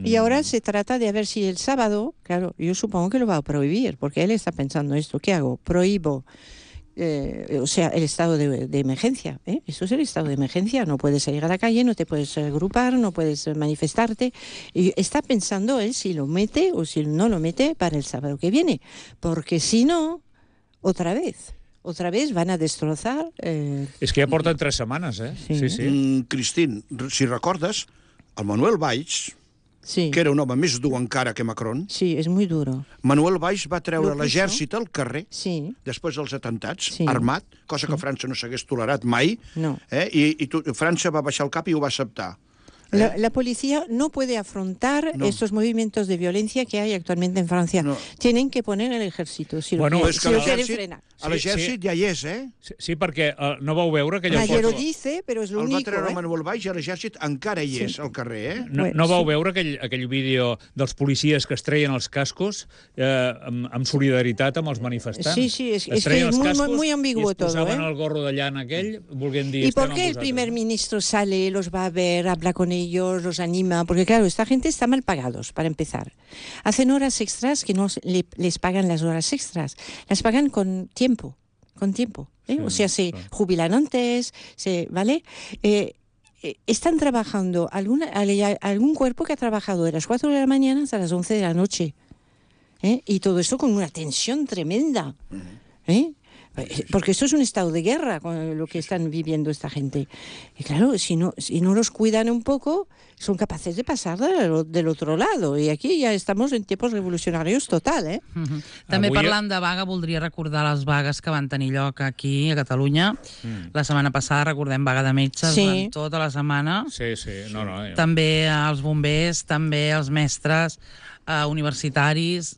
E: Y ahora se trata de a ver si el sábado, claro, yo supongo que lo va a prohibir, porque él está pensando esto, ¿qué hago? Prohíbo, eh, o sea, el estado de, de emergencia, ¿eh? Eso es el estado de emergencia, no puedes salir a la calle, no te puedes agrupar, no puedes manifestarte, y está pensando él si lo mete o si no lo mete para el sábado que viene, porque si no, otra vez... Otra vez van a destrozar... Eh...
D: És que ja porten tres setmanes, eh?
E: Sí.
D: Sí, sí.
C: Mm, Cristín, si recordes, el Manuel Valls,
E: Sí.
C: que era un home més dur encara que Macron,
E: Sí, es muy duro.
C: Manuel Valls va treure
E: Lo puso.
C: l'exèrcit al carrer
E: Sí.
C: després dels atentats,
E: Sí.
C: armat, cosa que França no s'hagués tolerat mai,
E: No.
C: eh? I, i tu, França va baixar el cap i ho va acceptar.
E: La, la policía no puede afrontar
C: No.
E: estos movimientos de violencia que hay actualmente en Francia.
C: No.
E: Tienen que poner el ejército, si
D: Bueno,
E: lo,
C: és
E: si
C: que
E: lo quieren
C: l'exèrcit
E: frenar.
C: a l'exèrcit
D: Sí, sí.
C: ja hi és, eh?
D: Sí, sí, perquè uh, no vau veure aquella
E: Nadie lo
D: foto...
E: dice, pero es lo
C: El va
E: único.
C: treure
E: ¿eh?
C: Manuel Valls i l'exèrcit encara hi és al carrer, eh?
D: No,
E: Bueno,
D: no vau
E: sí.
D: veure aquell, aquell vídeo dels policies que es treien els cascos eh, amb, amb solidaritat amb els manifestants?
E: Sí, sí, es-
D: Es
E: es que
D: treien
E: es
D: els
E: muy-
D: cascos
E: muy ambiguo
D: i es posaven
E: todo, ¿eh?
D: el gorro de llana aquell, volguent dir...
E: ¿Y por
D: "Estem
E: qué
D: amb
E: el primer
D: vosaltres".
E: ministro sale, los va a ver, habla con ellos, los anima? Porque claro, esta gente está mal pagados, para empezar. Hacen horas extras que no se- le- les pagan las horas extras. Las pagan con tiempo, con tiempo. ¿eh?
D: Sí,
E: o sea, se
D: claro.
E: jubilan antes, se, ¿vale? Eh, eh, están trabajando, alguna, hay algún cuerpo que ha trabajado de las cuatro de la mañana hasta las once de la noche. ¿eh? Y todo esto con una tensión tremenda. ¿eh? Porque esto es un estado de guerra con lo que están viviendo esta gente. Y claro, si no, si no los cuidan un poco, son capaces de pasar del, del otro lado. Y aquí ya estamos en tiempos revolucionarios total, eh?
B: Uh-huh. També
D: Avui...
B: parlant de vaga, voldria recordar les vagues que van tenir lloc aquí a Catalunya. Mm. La setmana passada, recordem, vaga de metges,
E: sí.
B: durant tota la setmana.
D: Sí, sí, no, no. Jo...
B: També els bombers, també els mestres uh, universitaris.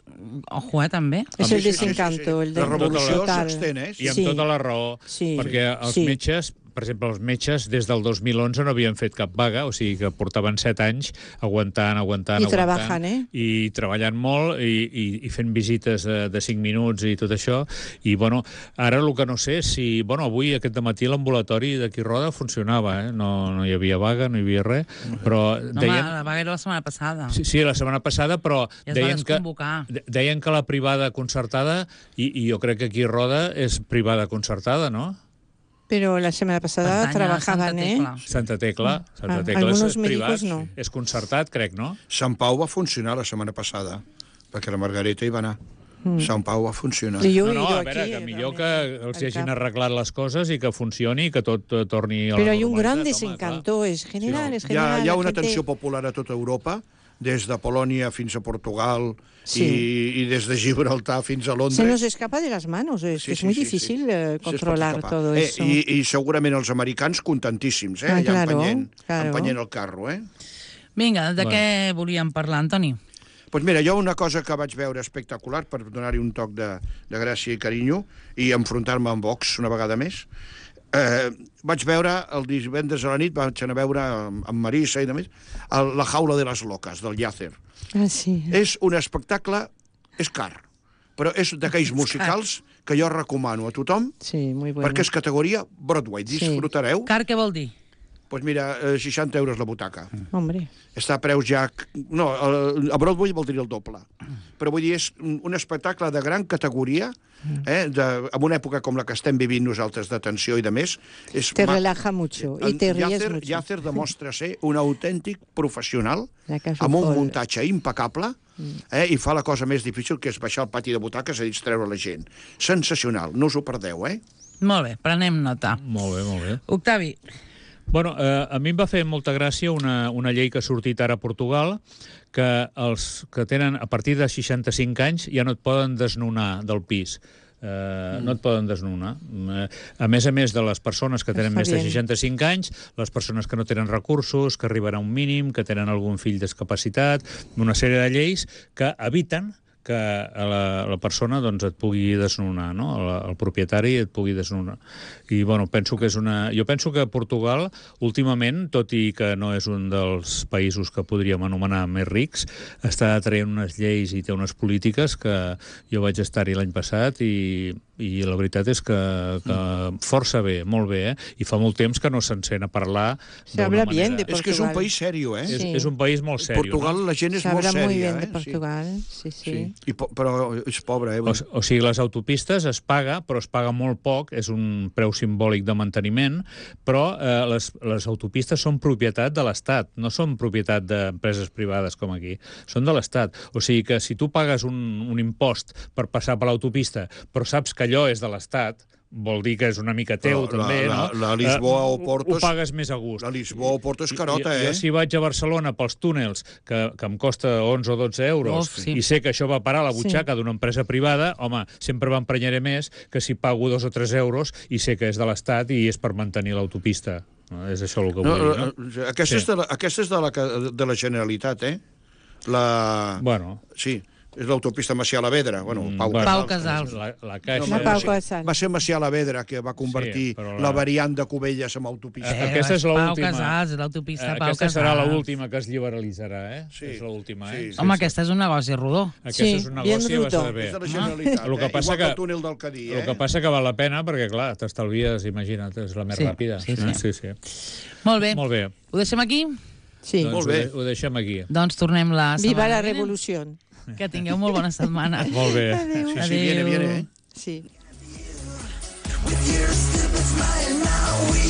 B: Ojo, eh, també.
E: És el desencanto, el de...
C: La revolució
E: total.
C: s'extén, eh?
D: I amb
E: Sí.
D: tota la raó,
E: Sí.
D: perquè els
E: Sí.
D: metges, per exemple, els metges des del dos mil onze no havien fet cap vaga, o sigui que portaven set anys aguantant, aguantant,
E: I
D: aguantant.
E: treballant, eh?
D: I treballant molt, i, i, i fent visites de, de cinc minuts i tot això. I, bueno, ara el que no sé és si... Bueno, avui, aquest dematí, l'ambulatori d'aquí Roda funcionava, eh? No, no hi havia vaga, no hi havia res, però
B: No,
D: deien...
B: home, la vaga era la setmana passada.
D: Sí, sí, la setmana passada, però
B: Ja es va
D: deien que,
B: desconvocar.
D: de- deien que la privada concertada, i, i jo crec que aquí Roda és privada concertada, no?
E: Pero la semana pasada
B: Pertany a
E: trabajaban,
B: Santa
E: ¿eh?
B: Tecla.
D: Santa Tecla. Santa
E: Ah,
D: Tecla
E: algunos
D: és privat,
E: médicos no.
D: és concertat, crec, no?
C: Sant Pau va funcionar la setmana passada, perquè la Margareta hi va anar. Mm. Sant Pau va funcionar.
E: Y yo
D: No,
E: he
D: no,
E: ido
D: a veure,
E: aquí,
D: que millor
E: realment,
D: que els
E: al
D: hagin
E: camp.
D: arreglat les coses i que funcioni i que tot eh, torni a la
E: Pero hay un
D: normalitat,
E: gran
D: home,
E: desencanto, es general,
D: Sí,
E: es
C: Hi ha,
E: general.
C: hi ha
E: la
C: una
E: gente-
C: tensió popular a tota Europa, des de Polònia fins a Portugal
E: Sí.
C: i, i des de Gibraltar fins a Londres.
E: Se nos escapa de las manos, es,
C: Sí,
E: es
C: sí,
E: muy
C: sí,
E: difícil
C: sí.
E: eh,
C: Sí, es pot
E: controlar
C: escapar.
E: todo
C: eh,
E: eso.
C: I, I segurament els americans contentíssims, eh?
E: Ah,
C: allà
E: claro,
C: empenyent,
E: claro.
C: empenyent el carro, eh?
B: Vinga, de
D: Bueno.
B: què volíem parlar, Antoni?
C: Doncs mira, jo una cosa que vaig veure espectacular per donar-hi un toc de, de gràcia i carinyo i enfrontar-me amb Vox una vegada més, eh, vaig veure el divendres a la nit, vaig anar a veure amb, amb Marisa i de més, el, La jaula de les loques, del Llàcer.
E: Ah, sí.
C: És un espectacle, és car, però és d'aquells musicals que jo recomano a tothom,
E: Sí, muy bueno.
C: perquè és categoria Broadway. Disfrutareu.
B: Car, què vol dir?
C: Doncs mira, eh, seixanta euros la butaca.
E: Hombre.
C: Està a preus ja... No, a Broadway voldria el doble. Però vull dir, és un espectacle de gran categoria, eh, de, en una època com la que estem vivint nosaltres de tensió i de més. És
E: Te
C: ma-
E: relaja mucho y te ríes
C: Llàcer,
E: mucho.
C: Llàcer demostra ser un autèntic professional,
E: La Casa
C: amb un
E: Fol.
C: muntatge impecable, eh, i fa la cosa més difícil, que és baixar al pati de butaques a distreure la gent. Sensacional, no us ho perdeu, eh?
B: Molt bé, prenem nota.
D: Molt bé, molt bé.
B: Octavi,
D: Bueno, eh, a mi em va fer molta gràcia una, una llei que ha sortit ara a Portugal, que els que tenen a partir de seixanta-cinc anys ja no et poden desnonar del pis. Eh, mm. No et poden desnonar. Eh, a més a més de les persones que tenen
E: Està
D: més de
E: bien.
D: seixanta-cinc anys, les persones que no tenen recursos, que arriben a un mínim, que tenen algun fill discapacitat, una sèrie de lleis que eviten que la, la persona doncs, et pugui desnonar, no? el, el propietari et pugui desnonar. I bueno, penso que és una... Jo penso que Portugal, últimament, tot i que no és un dels països que podríem anomenar més rics, està traient unes lleis i té unes polítiques que jo vaig estar-hi l'any passat i, i la veritat és que, que força bé, molt bé, eh? I fa molt temps que no se'n sent a parlar
E: Se habla
D: d'una
E: bien
D: manera...
E: de
C: És que és un
E: Portugal.
C: país sèrio, eh?
D: És,
E: Sí.
D: és un país molt sèrio.
C: Portugal,
D: no?
C: la gent és
E: Se
C: molt
E: habla
C: sèria,
E: muy bien de
C: eh?
E: Portugal, sí, sí.
C: Sí. I, po- però és pobre, eh?
D: O, o sigui, les autopistes es paga, però es paga molt poc, és un preu simbòlic de manteniment, però eh, les, les autopistes són propietat de l'Estat, no són propietat d'empreses privades com aquí, són de l'Estat. O sigui que si tu pagues un, un impost per passar per l'autopista, però saps que allò és de l'Estat, vol dir que és una mica teu,
C: Però la-
D: també,
C: la-
D: no?
C: la Lisboa
D: Eh,
C: o Porto
D: Ho
C: és-
D: pagues més a gust.
C: La Lisboa o Porto és carota,
D: jo,
C: eh?
D: jo si vaig a Barcelona pels túnels, que, que em costa onze o dotze euros,
B: Uf, sí.
D: i sé que això va parar a la butxaca sí. d'una empresa privada, home, sempre m'emprenyaré més que si pago dos o tres euros i sé que és de l'Estat i és per mantenir l'autopista. No, és això el que vull
C: No,
D: dir, no?
C: no? Aquesta,
D: Sí.
C: és de la, aquesta és de la, ca- de la Generalitat, eh? La...
D: Bueno,
C: Sí, és l'autopista Macià-Lavedra. Bueno, Pau,
D: bueno,
B: Pau Casals.
D: La, la caixa...
E: La
C: va
E: Pau
C: ser-
E: Casals.
C: Va ser Macià-Lavedra que va convertir
D: Sí, però
C: la...
D: la-
C: la variant de Cubelles en autopista.
D: Eh, aquesta és
B: Pau
D: l'última.
B: Casals, l'autopista
D: Eh,
B: Pau
D: aquesta
B: Casals.
D: serà l'última que es liberalitzarà, eh?
C: Sí.
D: És l'última,
C: Sí,
D: eh?
C: sí.
B: Home, aquesta és un negoci rodó.
D: Aquesta
E: Sí,
D: és un
E: bien
D: negoci
E: bruto.
D: bastant bé.
C: És de la Generalitat,
D: El que
C: eh?
D: passa
C: Igual
D: que-
C: que el túnel del Cadí, eh?
D: El que passa que val la pena, perquè, clar, t'estalvies, imagina't, és la més
B: Sí,
D: ràpida.
B: sí, sí.
D: Eh? sí, sí.
B: Molt bé.
D: Molt bé.
B: Ho deixem aquí?
E: Sí.
D: Doncs
C: Molt bé.
D: Ho, de- ho deixem aquí.
B: Doncs tornem la setmana
E: Viva la
B: vinent.
E: revolución.
B: Que tingueu molt bona setmana.
D: Molt bé.
E: Adéu.
C: Sí, sí, viene, viene, eh?
E: Sí.
A: With your stupid smile now we